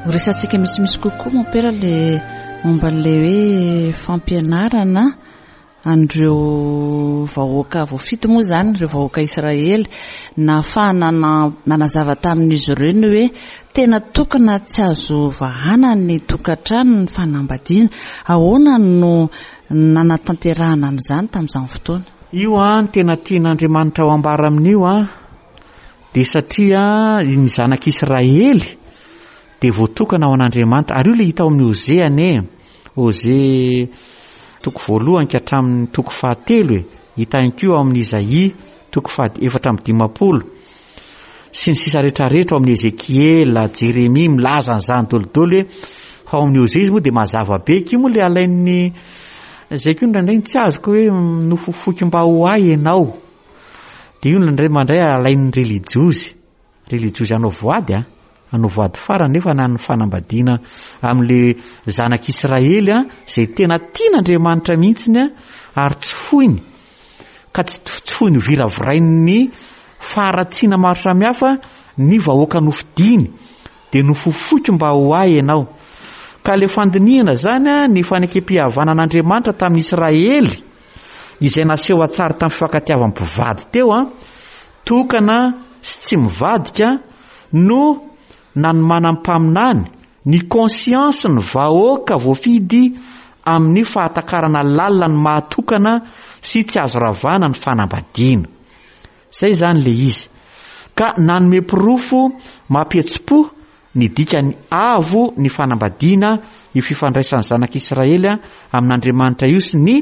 Ho resahantsika misimisy kokoa mompera le momba an'ilay hoe fampianarana an'ireo vahoaka voafidy moa izany, ireo vahoaka Israely, nahafahana nanazava tamin'izy ireo ny hoe tena tokana tsy azo vahana ny tokantrano, ny fanambadiana. Ahoana no nanatanterahana an'izany tamin'izany fotoana? Io an, tena tian'Andriamanitra ho ambara amin'io an, dia satria ny zanak'Israely dia voatokana ho an'Andriamanitra. Ary io ilay hita ao amin'ny Hosea anie e. Hosea toko voalohany ka hatramin'ny toko fahatelo e. Hita ihany koa ao amin'ny Izaia toko faha 54 sy ny sisa rehetrarehetra ao amin'ny Ezekiela, Jeremia milaza an'izany dolidoly hoe fa ao amin'ny Hosea izy moa dia mazava be. Io moa ilay alain'ny izay koa indraindray ny tsy azoko hoe nofofoiko mba ho ahy ianao. Dia io indraindray mandray alain'ny relijiozy. Relijiozy hanao voady a, hanao voady farany nefa na ny fanambadiana amin'le zanak'Israely a, izay tena tian'Andriamanitra mihitsiny a, ary tsy foiny, ka tsy tsy foiny ho viravirain'ny faharatsiana maro samihafa ny vahoaka nofidiny, dia nofofoiko mba ho ahy ianao. Ka le fandinihana zany a, ny fanekem-pihavanan'Andriamanitra tamin'ny Israely, izay naseho an-tsary tamin'ny fifankatiavan'ny mpivady teo a, Tokana sy tsy mivadika no nanomanan'ny mpaminany ny conscience ny vahoaka voafidy amin'ny fahatakarana lalina ny maha tokana sy tsy azo ravana ny fanambadiana. Zay izany le izy. Ka nanome porofo mampihetsi-po Ny dikany avo ny fanambadiana io fifandraisan'ny zanak'Israely amin'Andriamanitra io sy ny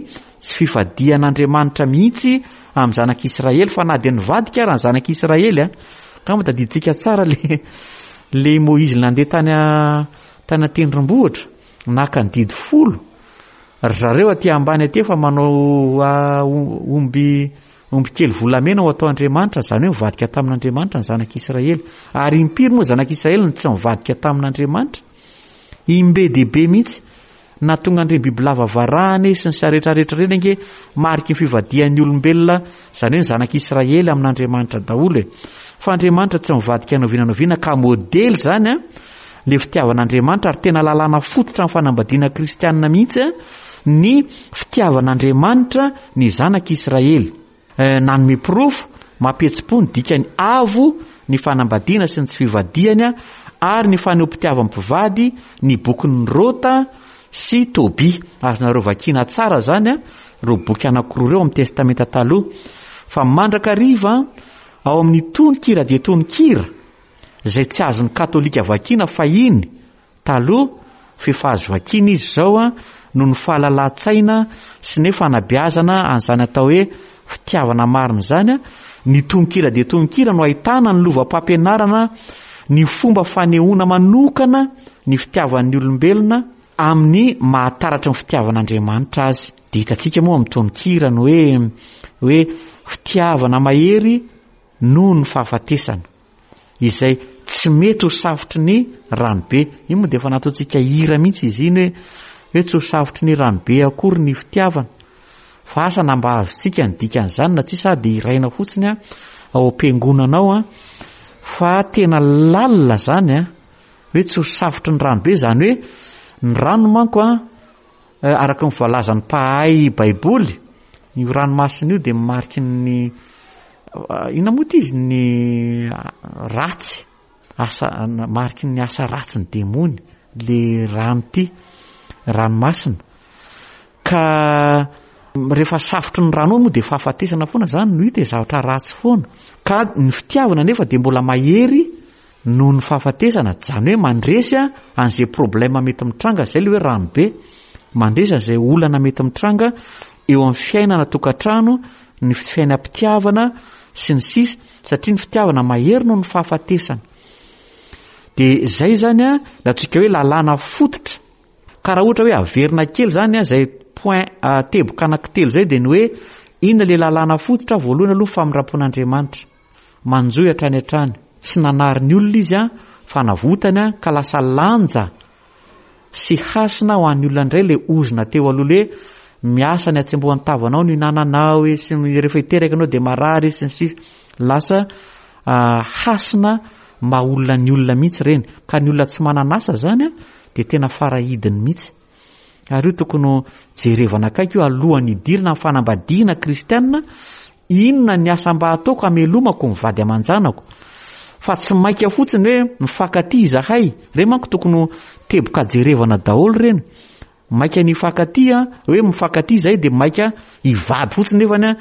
tsy fivadihan'Andriamanitra mihitsy amin'ny zanak'Israely fa na dia nivadika ara ny zanak'Israely a angamba tadidintsika tsara le le Moizy nandeha tany tany an-tendrombohitra naka ny didy folo ry zareo aty ambany aty efa manao omby Omby kely volamena ho atao Andriamanitra, izany hoe mivadika tamin'Andriamanitra ny zanak'Israely. Ary impiry moa zanak'Israely no tsy nivadika tamin'Andriamanitra? Imbe dia be mihitsy. Nahatonga an'ireny bibilava varahana sy ny sisa rehetra rehetra ireny ange mariky ny fivadihan'ny olombelona, izany hoe ny zanak'Israely amin'Andriamanitra daholo e. Fa Andriamanitra tsy mivadika na oviana na oviana ka modely izany an, le fitiavan'Andriamanitra ary tena lalàna fototra amin'ny fanambadiana kristianina mihitsy ny fitiavan'Andriamanitra ny zanak'i Israely. Nanome porofo mampihetsi-po ny dikany avo ny fanambadiana sy ny tsy fivadihana ary ny fanehoam-pitiavan'ny mpivady ny bokin'i Rota sy Tobia. Azonareo vakiana tsara izany ireo boky anankiroa ireo amin'ny Testamenta Taloha. Fa mandrakariva. Ao amin'ny tononkira dia tononkira izay tsy azon'ny katolika vakiana fahiny taloha f'efa azo vakiana izy izao noho ny fahalalan-tsaina sy ny fanabeazana an'izany atao hoe fitiavana marina izany. Ny tononkira dia tononkira no ahitana ny lovam-pampianarana ny fomba fanehoana manokana ny fitiavan'ny olombelona amin'ny mahataratry ny fitiavan'Andriamanitra azy. Dia hitantsika moa amin'ny tononkira ny hoe hoe fitiavana mahery noho ny fahafatesana izay tsy mety ho safotry ny ranobe. Io moa dia efa nataontsika hira mihitsy izy iny hoe hoe tsy ho safotry ny ranobe akory ny fitiavana. Fa asa na mba azontsika ny dikan'izany na tsia sa dia hiraina fotsiny ao am-piangonana ao fa tena lalina izany an. Hoe tsy ho safotry ny ranobe izany hoe ny rano manko an araka ny voalazan'ny mpahay baiboly io ranomasina io dia mariky ny inona moa ity izy ny ratsy asa mariky ny asa ratsy ny demony le rano ity ranomasina ka rehefa safotry ny rano ao moa dia fahafatesana foana zany no hita e zavatra ratsy foana ka ny fitiavana nefa dia mbola mahery Noho ny fahafatesana, zany hoe mandresy an'izay problème mety mitranga, zay le hoe rano be, mandresy an'izay olana mety mitranga eo amin'ny fiainana tokantrano, ny fiainam-pitiavana sy ny sisa, satria ny fitiavana mahery noho ny fahafatesana. De zay zany a, ny antsika hoe lalàna fototra. Ka raha ohatra hoe averina kely zany a, zay point teboka anankitelo zay de ny hoe inona le lalàna fototra, voalohany aloha famindram-pon'Andriamanitra. Manjohy hatrany hatrany. Tsy nanary ny olona izy fa navotany ka lasa lanja sy hasina ho an'ny olona indray ilay ozona teo aloha ilay hoe miasa ny hatsembohan'ny tavanao no hinananao e sy ny rehefa hiteraka ianao dia marary sy ny sisa. Lasa hasina maha olona ny olona mihitsy ireny. Ka ny olona tsy manana asa izany dia tena farahidiny mihitsy. Ary io tokony ho jerevana akaiky io alohan'ny hidirana amin'ny fanambadiana kristiana Inona ny asa mba ataoko hamelomako ny vady aman-janako? Fa tsy maika fotsiny hoe mifankatia izahay. Ireny manko tokony ho teboka jerevana daholo ireny. Maika ny hifankatia, hoe mifankatia izahay dia maika hivady fotsiny nefany an,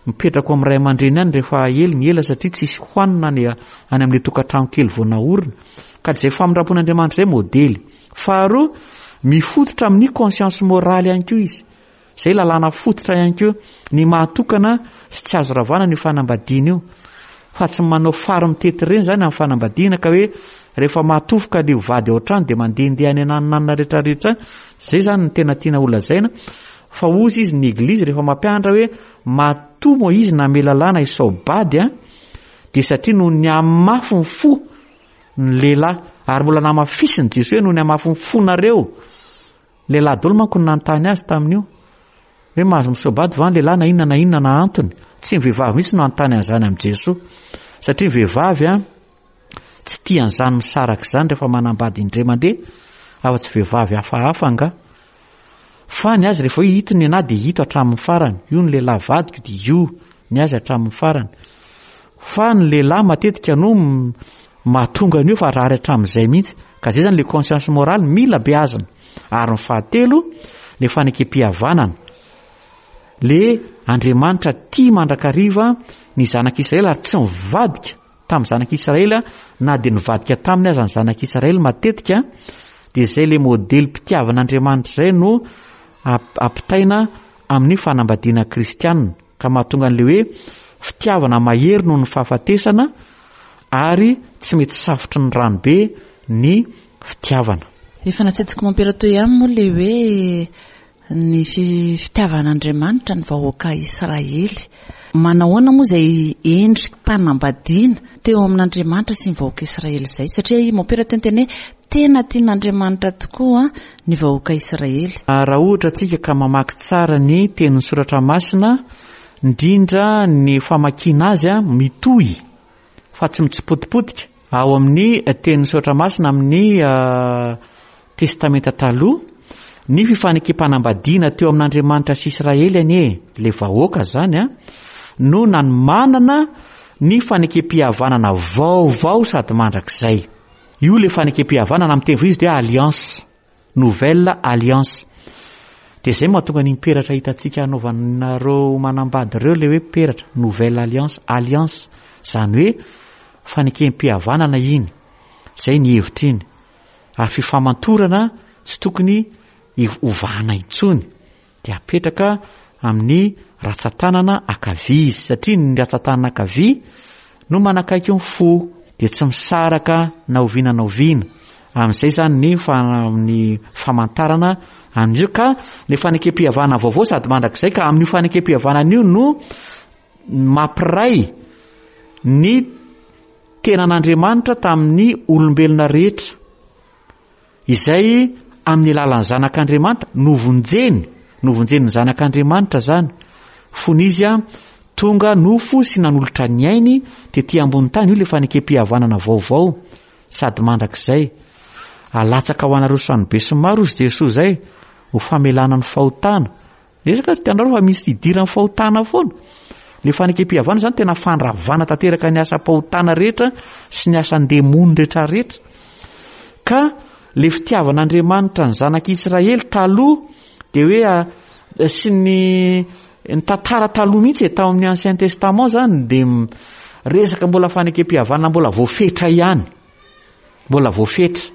mipetraka ao amin'ny ray aman-dreny any rehefa ela ny ela satria tsisy hohanina any any amin'ilay tokantrano kely vao naorina. Ka izay famindram-pon'Andriamanitra izay modely. Faharoa, mifototra amin'ny conscience morale ihany koa izy. Izay lalàna fototra ihany koa ny maha tokana sy tsy azo ravana an'io fanambadiana io. Fa tsy manao fary mitety ireny izany amin'ny fanambadiana ka hoe rehefa mahatofoka ilay vady ao an-trano dia mandehandeha any ananonanona rehetrarehetra any. Izay izany no tena tiana holazaina. Fa hozy izy ny eglizy rehefa mampianatra hoe matoa Moizy namela lalàna hisao-bady an, dia satria noho ny hamafy ny fo ny lehilahy. Ary mbola namafisin'i Jesoa hoe noho ny hamafy ny fonareo. Lehilahy daholo manko no nanontany azy tamin'io. Hoe mahazo misoa-bady va ny lehilahy na inona na inona na antony. Tsy ny vehivavy mihitsy no hanontany an'izany amin'i Jesoa. Satria ny vehivavy an, tsy tia an'izany misaraka izany rehefa manambady indray mandeha, afa-tsy vehivavy hafahafa angaha. Fa ny azy rehefa hoe ito ny anah dia ito hatramin'ny farany. Io ny lehilahy vadiko dia io ny azy hatramin'ny farany. Fa ny lehilahy matetika no mahatonga an'io fa rary hatramin'izay mihitsy. Ka zay zany le conscience morale mila beazina. Ary ny fahatelo, le fanekem-pihavanana. Le Andriamanitra tia mandrakariva ny zanak'Israely ary tsy mivadika tamin'ny zanak'Israely na dia nivadika taminy aza ny zanak'Israely matetika, dia zay le modelim-pitiavan'Andriamanitra zay no ampitaina amin'ny fanambadiana kristianina. Ka mahatonga an'ilay hoe fitiavana mahery noho ny fahafatesana ary tsy mety safotry ny rano be ny fitiavana. Efa natsidik'i Mompera teo ihany moa ilay hoe ny fitiavan'Andriamanitra ny vahoaka Israely. Manahoana moa izay endri-panambadiana teo amin'Andriamanitra sy ny vahoaka Israely izay? Satria i Mompera teo niteny hoe tena tian'Andriamanitra tokoa ny vahoaka Israely. Raha ohatra tsika ka mamaky tsara ny tenin'ny soratra masina, indrindra ny famakiana azy mitohy fa tsy mitsipotipotika, ao amin'ny tenin'ny soratra masina amin'ny Testamenta Taloha, ny fifanekem-panambadiana teo amin'Andriamanitra sy Israely anie, ilay vahoaka izany an, no nanomanana ny fanekem-pihavanana vaovao sady mandrakizay. Io ilay fanekem-pihavanana amin'ny teny vahiny izy dia alliance, nouvelle alliance. Dia izay mahatonga an'iny peratra hitantsika anaovanareo manambady ireo ilay hoe peratra, nouvelle alliance, alliance, izany hoe fanekem-pihavanana iny, izay ny hevitra iny. Ary fifamantorana tsy tokony hovahana intsony. Dia apetraka amin'ny ratsan-tanana ankavia izy, satria ny ratsan-tanana ankavia no manakaiky ny fo, dia tsy misaraka na oviana na oviana. Amin'izay izany ny ny famantarana an'io ka ny fanekem-pihavanana vaovao sady mandrakizay ka amin'io fanekem-pihavanana io no mampiray ny tenan'Andriamanitra tamin'ny olombelona rehetra. Izay amin'ny alalan'ny Zanak'Andriamanitra, novonjeny, novonjen'ny Zanak'Andriamanitra izany, fony Izy tonga nofo sy nanolotra ny ainy tety ambony tany, io ilay fanekem-pihavanana vaovao sady mandrakizay. Alatsaka ho anareo samy be sy maro ozy Jesoa izay, ho famelana ny fahotana. Resaka ry tianareo fa misy idiran'ny fahotana foana. Le fanekem-pihavanana zany tena fandravana tanteraka ny asam-pahotana rehetra sy ny asan-demony rehetra rehetra. Ka le fitiavan'Andriamanitra ny zanak'Israely taloha de hoe ah, sy ny ny tantara taloha mihitsy e, tao amin'ny Ancien Testament zany de resaka mbola fanekem-pihavanana mbola voafetra ihany. Mbola voafetra.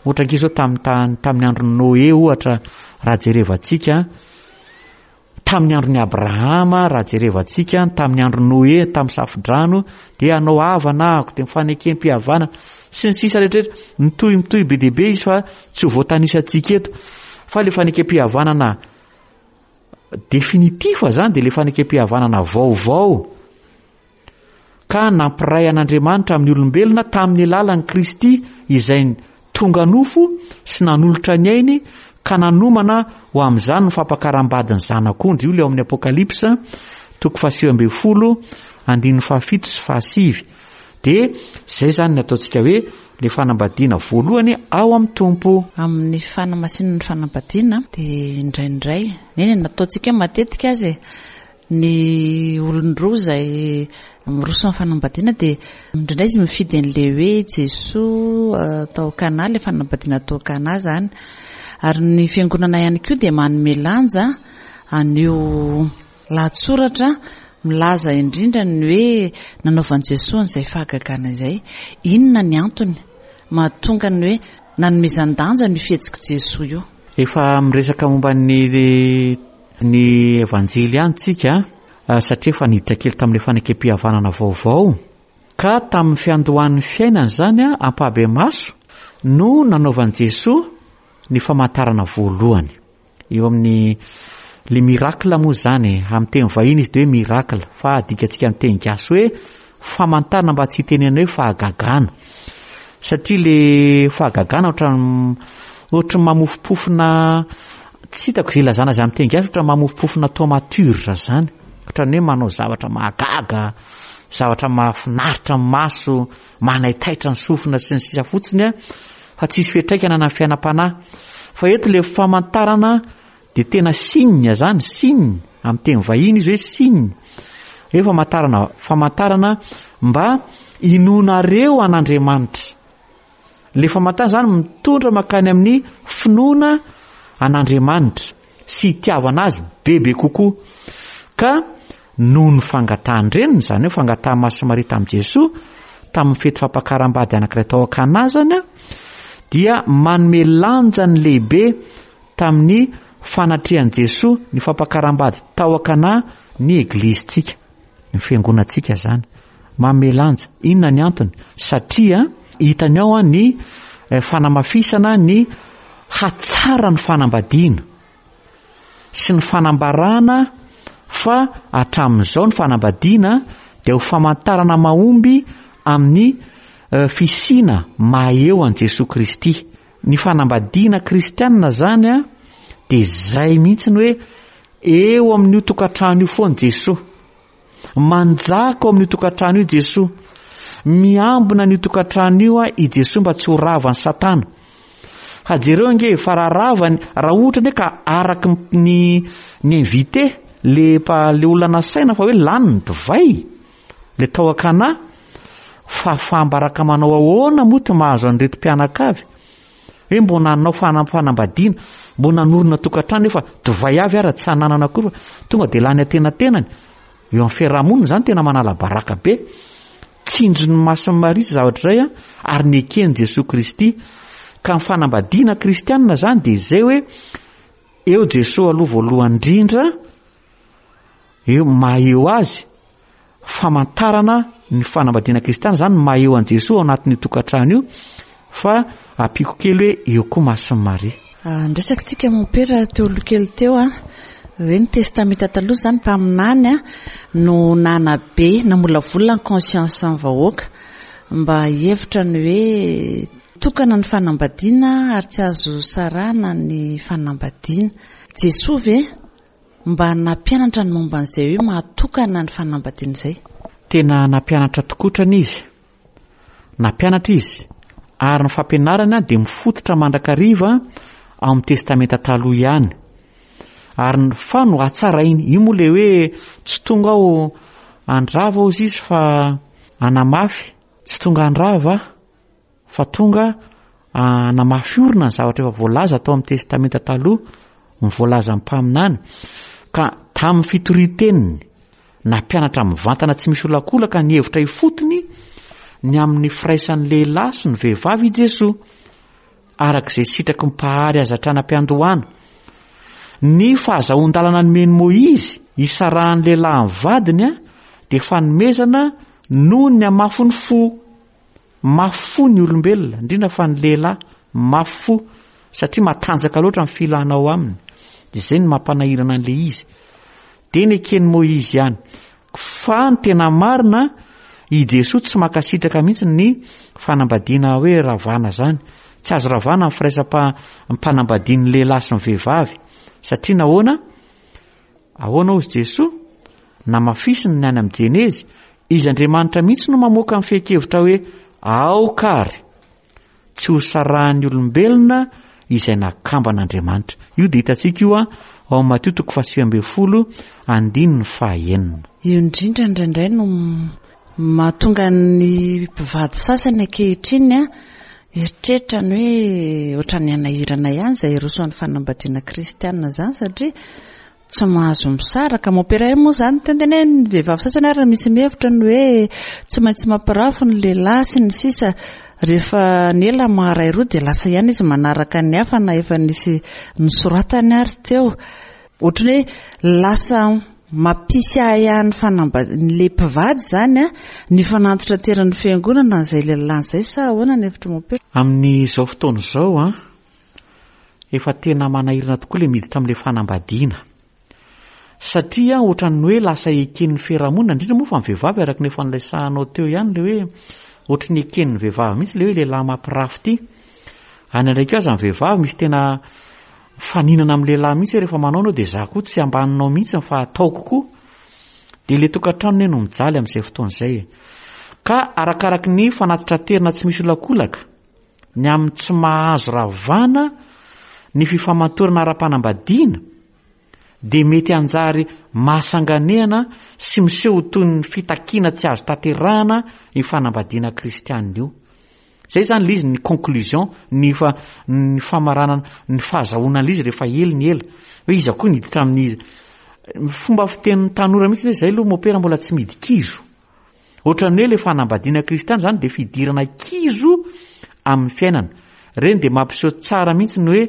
Ohatra ankizy zao tamin'ny tany tamin'ny andron'i Noé ohatra raha jerevantsika, tamin'ny andron'i Abrahama raha jerevantsika, tamin'ny andron'i Noé tamin'ny safodrano dia hanao havana ahako dia mifanekem-pihavana sy ny sisa rehetra rehetra. Mitohy mitohy be dia be izy fa tsy ho voatanisantsika eto. Fa le fanekem-pihavanana définitif zany dia le fanekem-pihavanana vaovao. ka nampiray an'Andriamanitra amin'ny olombelona tamin'ny alalan'i Kristy izay tonga nofo sy nanolotra ny ainy ka nanomana ho amin'izany ny fampakaram-badin'ny Zanak'ondry. Io ilay ao amin'ny Apokalypsa toko fahasivy ambin'ny folo andininy fahafito sy fahasivy. Dia izay izany ny ataontsika hoe ilay fanambadiana voalohany ao amin'ny Tompo. Amin'ny fanamasinana ny fanambadiana dia indraindray, eny e, nataontsika matetika aza e, Ny olon-droa izay miroso amin'ny fanambadiana dia indraindray izy mifidy an'ilay hoe Jesoa tao Kana, ilay fanambadiana tao Kana izany. Ary ny fiangonana ihany koa dia manome lanja an'io lahatsoratra milaza indrindra ny hoe nanaovan'i Jesoa an'izay fahagagana izay. Inona ny antony mahatonga ny hoe nanomezan-danja an'io fihetsik'i Jesoa io? Efa miresaka momba ny Ny Evanjely ihany tsika satria efa niditra kely tamin'ilay fanekem-pihavanana vaovao ka tamin'ny fiandohan'ny fiainany izany ampahibemaso no nanaovan'i Jesoa ny famantarana voalohany. Eo amin'ny le miracle moa izany e, amin'ny teny vahiny izy dia hoe miracle fa adikantsika amin'ny teny gasy hoe famantarana mba tsy hitenenana hoe fahagagana satria le fahagagana ohatran'ny ohatran'ny mamofompofona tsy hitako izay ilazana azy amin'ny teny gasy ohatran'ny mamofompofona thaumaturge zany ohatran'ny hoe manao zavatra mahagaga zavatra mahafinaritra ny maso manaitaitra ny sofina sy ny sisa fotsiny a fa tsisy fiantraikana na fiainam-panahy fa eto le famantarana Dia tena signe zany, signe, amin'ny teny vahiny izy hoe signe. Hoe famantarana, famantarana mba hinoanareo an'Andriamanitra. Le famantarana zany mitondra mankany amin'ny finoana an'Andriamanitra sy hitiavana azy bebe kokoa. Ka noho ny fangatahan-dreniny, izany hoe fangatahan'i Masina Maria tamin'i Jesoa, tamin'ny fety fampakaram-bady anankiray tao Kana zany, dia manome lanjany lehibe Tamin'ny fanatrehan'i Jesoa ny fampakaram-bady tao Akana ny Eglizintsika, ny fiangonantsika izany. Manome lanja. Inona ny antony? Satria hitany ao ny fanamafisana ny hatsaran'ny fanambadiana sy ny fanambarana fa hatramin'izao ny fanambadiana dia ho famantarana mahomby amin'ny fisiana maha eo an'i Jesoa Kristy. Ny fanambadiana kristianina zany a dia zay mihitsy ny hoe eo amin'io tokantrano io foana Jesoa. Manjaka ao amin'io tokantrano io Jesoa. Miambina an'io tokantrano io a i Jesoa mba tsy ho ravan'i Satana. Fa jereo ange fa raha ravany, raha ohatra anie ka araky ny ny invité le mpa le olona nasaina fa hoe lany ny divay le tao Akana, Fahafaham-baraka manao ahoana moa ty mahazo an'ireto mpianakavy? Hoe mbo nanao fanambadiana, mbo nanorina tokantrano nefa divay avy ara tsy hananana akory fa tonga dia lany antenatenany. Eo amin'ny fiarahamonina izany tena manala baraka be. Tsinjon'ny Masin'i Maria izay zavatra izay ary neken'i Jesoa Kristy. Ka ny fanambadiana kristianina izany dia izay hoe eo Jesoa aloha voalohany indrindra, eo maha eo azy, famantarana ny fanambadiana kristiana izany ny maha eo an'i Jesoa ao anatin'io tokantrano io, fa ampiako kely hoe eo koa Masin'i Maria. Ah, niresaka tsika mompera teo aloha kely teo a, hoe ny testamenta taloha izany mpaminany a no nanabe, namolavola ny conscience ny vahoaka mba hihevitra ny hoe tokana ny fanambadiana ary tsy azo sarahana ny fanambadiana. Jesoa ve mba nampianatra ny momba an'izay hoe mahatokana ny fanambadiana izay? Tena nampianatra tokotrany izy. Nampianatra izy, ary ny fampianarany dia mifototra mandrakariva ao amin'ny Testamenta Taloha ihany. Ary ny fa no hatsarainy. Io moa ilay hoe tsy tonga aho handrava hozy izy fa hanamafy. Tsy tonga handrava aho fa tonga hanamafy orina ny zavatra efa voalaza tao amin'ny Testamenta Taloha, ny voalazan'ny mpaminany. Ka tamin'ny fitorian-teniny, Nampianatra mivantana tsy misy olakolaka ny hevitra ifotony ny amin'ny firaisan'ny lehilahy sy ny vehivavy i Jesoa, araka izay sitraky ny Mpahary azy hatrany am-piandohana. Ny fahazahoan-dalana nomen'i Môizy hisarahan'ny lehilahy amin'ny vadiny dia fanomezana noho ny hamafin'ny fo. Mafy fo ny olombelona, indrindra fa ny lehilahy, mafy fo satria matanjaka loatra ny filana ao aminy. Dia izay no mampanahirana an'ilay izy. Dia neken'i Moizy ihany. Fa ny tena marina, i Jesoa tsy mankasitraka mihitsy ny fanambadiana hoe ravana izany. Tsy azo ravana ny firaisam-panambadian'ny lehilahy sy ny vehivavy. Satria nahoana? Ahoana hozy Jesoa? Namafisiny ny any amin'ny Jenezy, Izy Andriamanitra mihitsy no mamoaka ny fehin-kevitra hoe aoka ary tsy ho sarahan'ny olombelona izay nakamban'Andriamanitra. Io dia hitantsika io ao amin'ny Matio toko fahasivy ambin'ny folo andininy fahaenina. Io indrindra indraindray no mahatonga ny mpivady sasany ankehitriny hieritreritra ny hoe ohatran'ny hanahirana ihany izay hiroso amin'ny fanambadiana kristiana izany satria tsy mahazo misaraka. Mompera io moa izany teny hoe ny vehivavy sasany ary misy mihevitra ny hoe tsy maintsy mampirafy ny lehilahy sy ny sisa. Rehefa ny ela maharay roa dia lasa ihany izy manaraka ny hafa na efa nisy nosoratany ary teo. Ohatran'ny hoe lasa mampisy ahiahy ny fanambadian'ilay mpivady izany an, ny fanantitranteran'ny fiangonana an'izay lehilahy izay sa ahoana ny hevitr'i Mompera? Amin'izao fotoana izao an, efa tena manahirana tokoa ilay miditra amin'ilay fanambadiana. Satria ohatran'ny hoe lasa eken'ny fiarahamonina, indrindra moa fa ny vehivavy araka ny efa niresahanao teo ihany ilay hoe ohatran'ny eken'ny vehivavy mihitsy ilay hoe lehilahy mampirafy ity. Any indray koa aza ny vehivavy misy tena mifaninana amin'ny lehilahy mihitsy hoe rehefa manao anao dia za koa tsy ambaninao mihitsy fa ataoko koa. Dia ilay tokantrano anie no mijaly amin'izay fotoana izay e. Ka arakaraky ny fanatitraterina tsy misy olakolaka, ny amin'ny tsy mahazo ravana ny fifamantorana ara-panambadiana dia mety hanjary mahasanganehana sy miseho ho toy ny fitakiana tsy azo tanterahana io fanambadiana kristianina io. Izay izany ilay izy, ny conclusion, ny fa, ny famaranana, ny fahazahoana an'ilay izy rehefa ela ny ela. Hoe iza koa niditra amin'ny fomba fitenin'ny tanora mihitsy hoe izay aloha mopera mbola tsy midi-kizo. Ohatran'ny hoe ilay fanambadiana kristiana izany dia fidirana kizo amin'ny fiainana. Ireny dia mampiseho tsara mihitsy ny hoe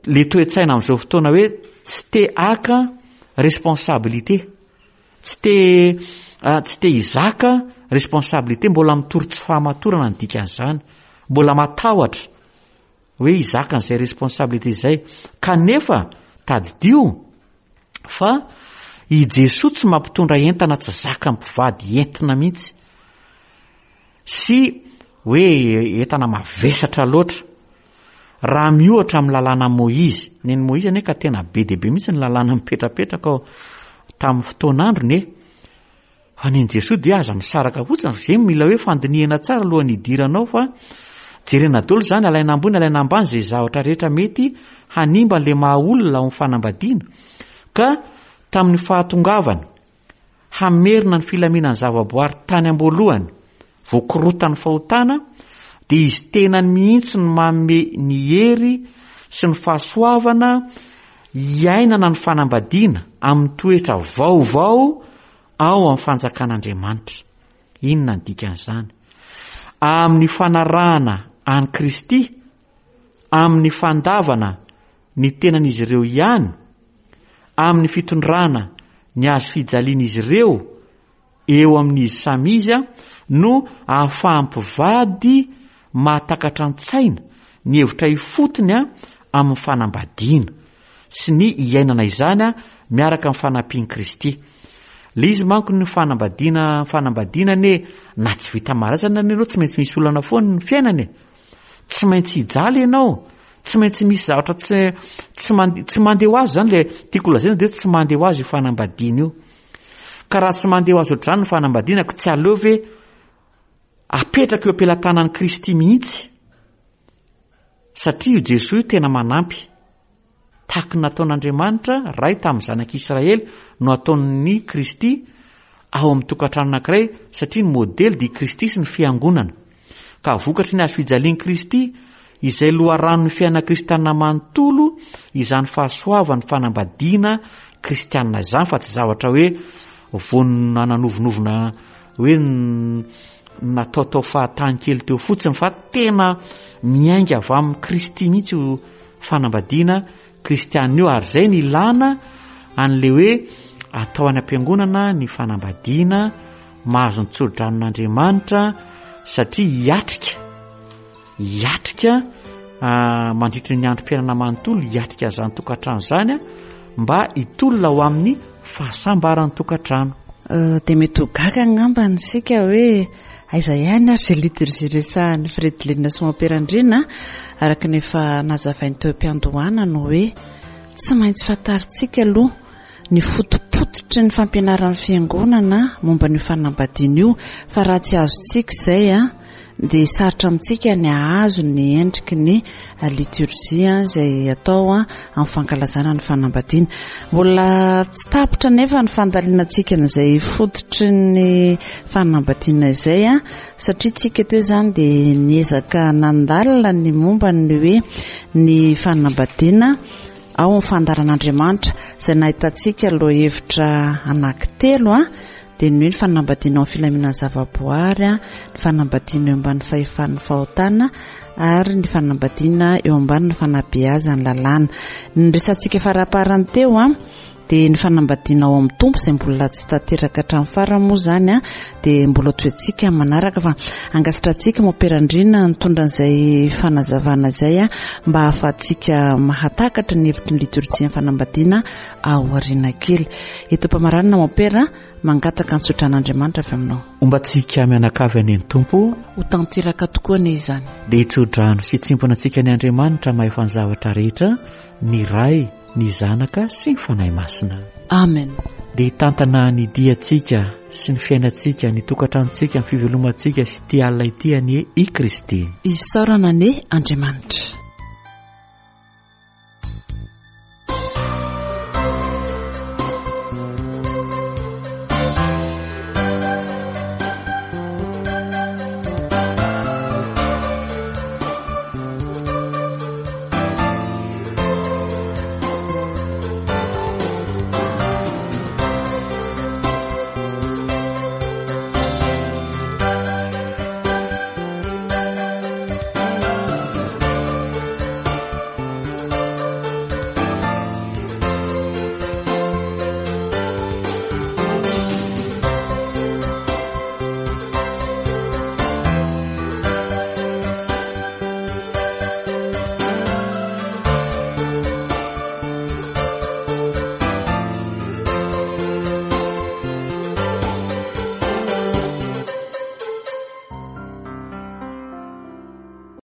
le toe-tsaina amin'izao fotoana hoe tsy te haka responsabilité. Tsy te tsy te hizaka responsabilité, mbola mitory tsy fahamatorana ny dikan'izany. Mbola matahotra hoe hizaka an'izay responsabilité izay. Kanefa tadidio fa i Jesoa tsy mampitondra entana tsy zakan'ny mpivady entina mihitsy sy hoe entana mavesatra loatra. Raha miohatra amin'ny lalàna Moizy, nen'i Moizy anie ka tena be dia be mihitsy ny lalàna mipetrapetraka ao tamin'ny fotoan'androny e. Fa nen'i Jesoa dia aza misaraka fotsiny, izay mila hoe fandinihana tsara alohan'ny hidiranao fa jerena daholo izany, alaina ambony alaina ambany izay zavatra rehetra mety hanimba an'ilay maha olona ao amin'ny fanambadiana. Ka tamin'ny fahatongavany hamerina ny filaminan'ny zavaboary tany am-boalohany, voakorotan'ny fahotana, dia izy tenany mihitsy no manome ny hery sy ny fahasoavana hiainana ny fanambadiana amin'ny toetra vaovao ao amin'ny fanjakan'Andriamanitra. Inona ny dikan'izany? Amin'ny fanarahana an'i Kristy, amin'ny fandavana ny tenan'izy ireo ihany, amin'ny fitondrana ny hazo fijalian'izy ireo eo amin'izy samy izy no ahafahan'ny mpivady mahatakatra an-tsaina ny hevitra ifotony amin'ny fanambadiana sy ny iainana izany miaraka amin'ny fanampian'i Kristy. Le izy manko ny fanambadiana fanambadiana anie na tsy vita marazana anie ianao tsy maintsy misy olana foana ny fiainana e. Tsy maintsy hijaly ianao, tsy maintsy misy zavatra tsy tsy mande tsy mandeha ho azy zany le tiako lazaina de tsy mandeha ho azy io fanambadiana io. Ka raha tsy mandeha ho azy ohatr'izany ny fanambadiana ko tsy aleo ve apetraka eo am-pelatanan'i Kristy mihitsy? Satria io Jesoa io tena manampy. Tahaky ny nataon'Andriamanitra Ray tamin'ny zanak'Israely no ataon'i Kristy ao amin'ny tokantrano anankiray satria ny modely dia i Kristy sy ny Fiangonana. Ka vokatry ny hazo fijalian'i Kristy izay loharanon'ny fiainana kristiana manontolo izany fahasoavan'ny fanambadiana kristiana izany fa tsy zavatra hoe vao nananovonovona hoe nataotao fahatany kely teo fotsiny fa tena miainga avy amin'i Kristy mihitsy io fanambadiana kristiana io ary izay ny ilana an'le hoe atao any am-piangonana ny fanambadiana mahazo ny tso-dranon'Andriamanitra satria hiatrika hiatrika ah, mandritry ny androm-piainana manontolo hiatrika izany tokantrano izany ah, mba hitolona ho amin'ny fahasambaran'ny tokantrano. Eh, dia mety ho gaga angamba isika hoe aiza ihany ary izay liturgie resahan'i Fredeline sy Mompera Andriana araka ny efa nazavainy teo am-piandohana no hoe tsy maintsy fantarintsika aloha ny fotopototry ny fampianaran'ny fiangonana momba an'io fanambadiana io fa raha tsy azontsika izay a dia sarotra amintsika ny hahazo ny endriky ny liturgie izay atao amin'ny fankalazana ny fanambadiana. Mbola tsy tapitra anefa ny fandalinantsika an'izay fototry ny fanambadiana izay satria tsika teo izany dia niezaka nandalina ny momba ny hoe ny fanambadiana ao amin'ny fandaharan'Andriamanitra izay nahitantsika lohahevitra anankitelo dia ny hoe ny fanambadiana ao amin'ny filaminan'ny zavaboary, ny fanambadiana eo ambanin'ny fahefan'ny fahotana ary ny fanambadiana eo ambanin'ny fanabeazan'ny lalàna. Ny resatsika faraparany teo dia ny fanambadiana ao amin'ny Tompo izay mbola tsy tanteraka hatramin'ny farany moa izany dia mbola toetsika manaraka fa angasitrantsika Mompera Andriana nitondra an'izay fanazavana izay mba hahafahantsika mahatakatra ny hevitry ny litorjian'ny fanambadiana aoriana kely. Eto am-pamaranana Mompera, mangataka ny tsodran'Andriamanitra avy aminao. Homba antsika mianakavy anie ny Tompo. Ho tanteraka tokoa anie izany. Dia hitsodrano sy hitsimpona antsika ny Andriamanitra mahefa ny zavatra rehetra, ny Ray, ny Zanaka sy ny Fanahy Masina. Amen. Dia hitantana ny diantsika sy ny fiainantsika, ny tokantranontsika, ny fivelomantsika sy ity alina ity anie i Kristy. Isaorana anie Andriamanitra.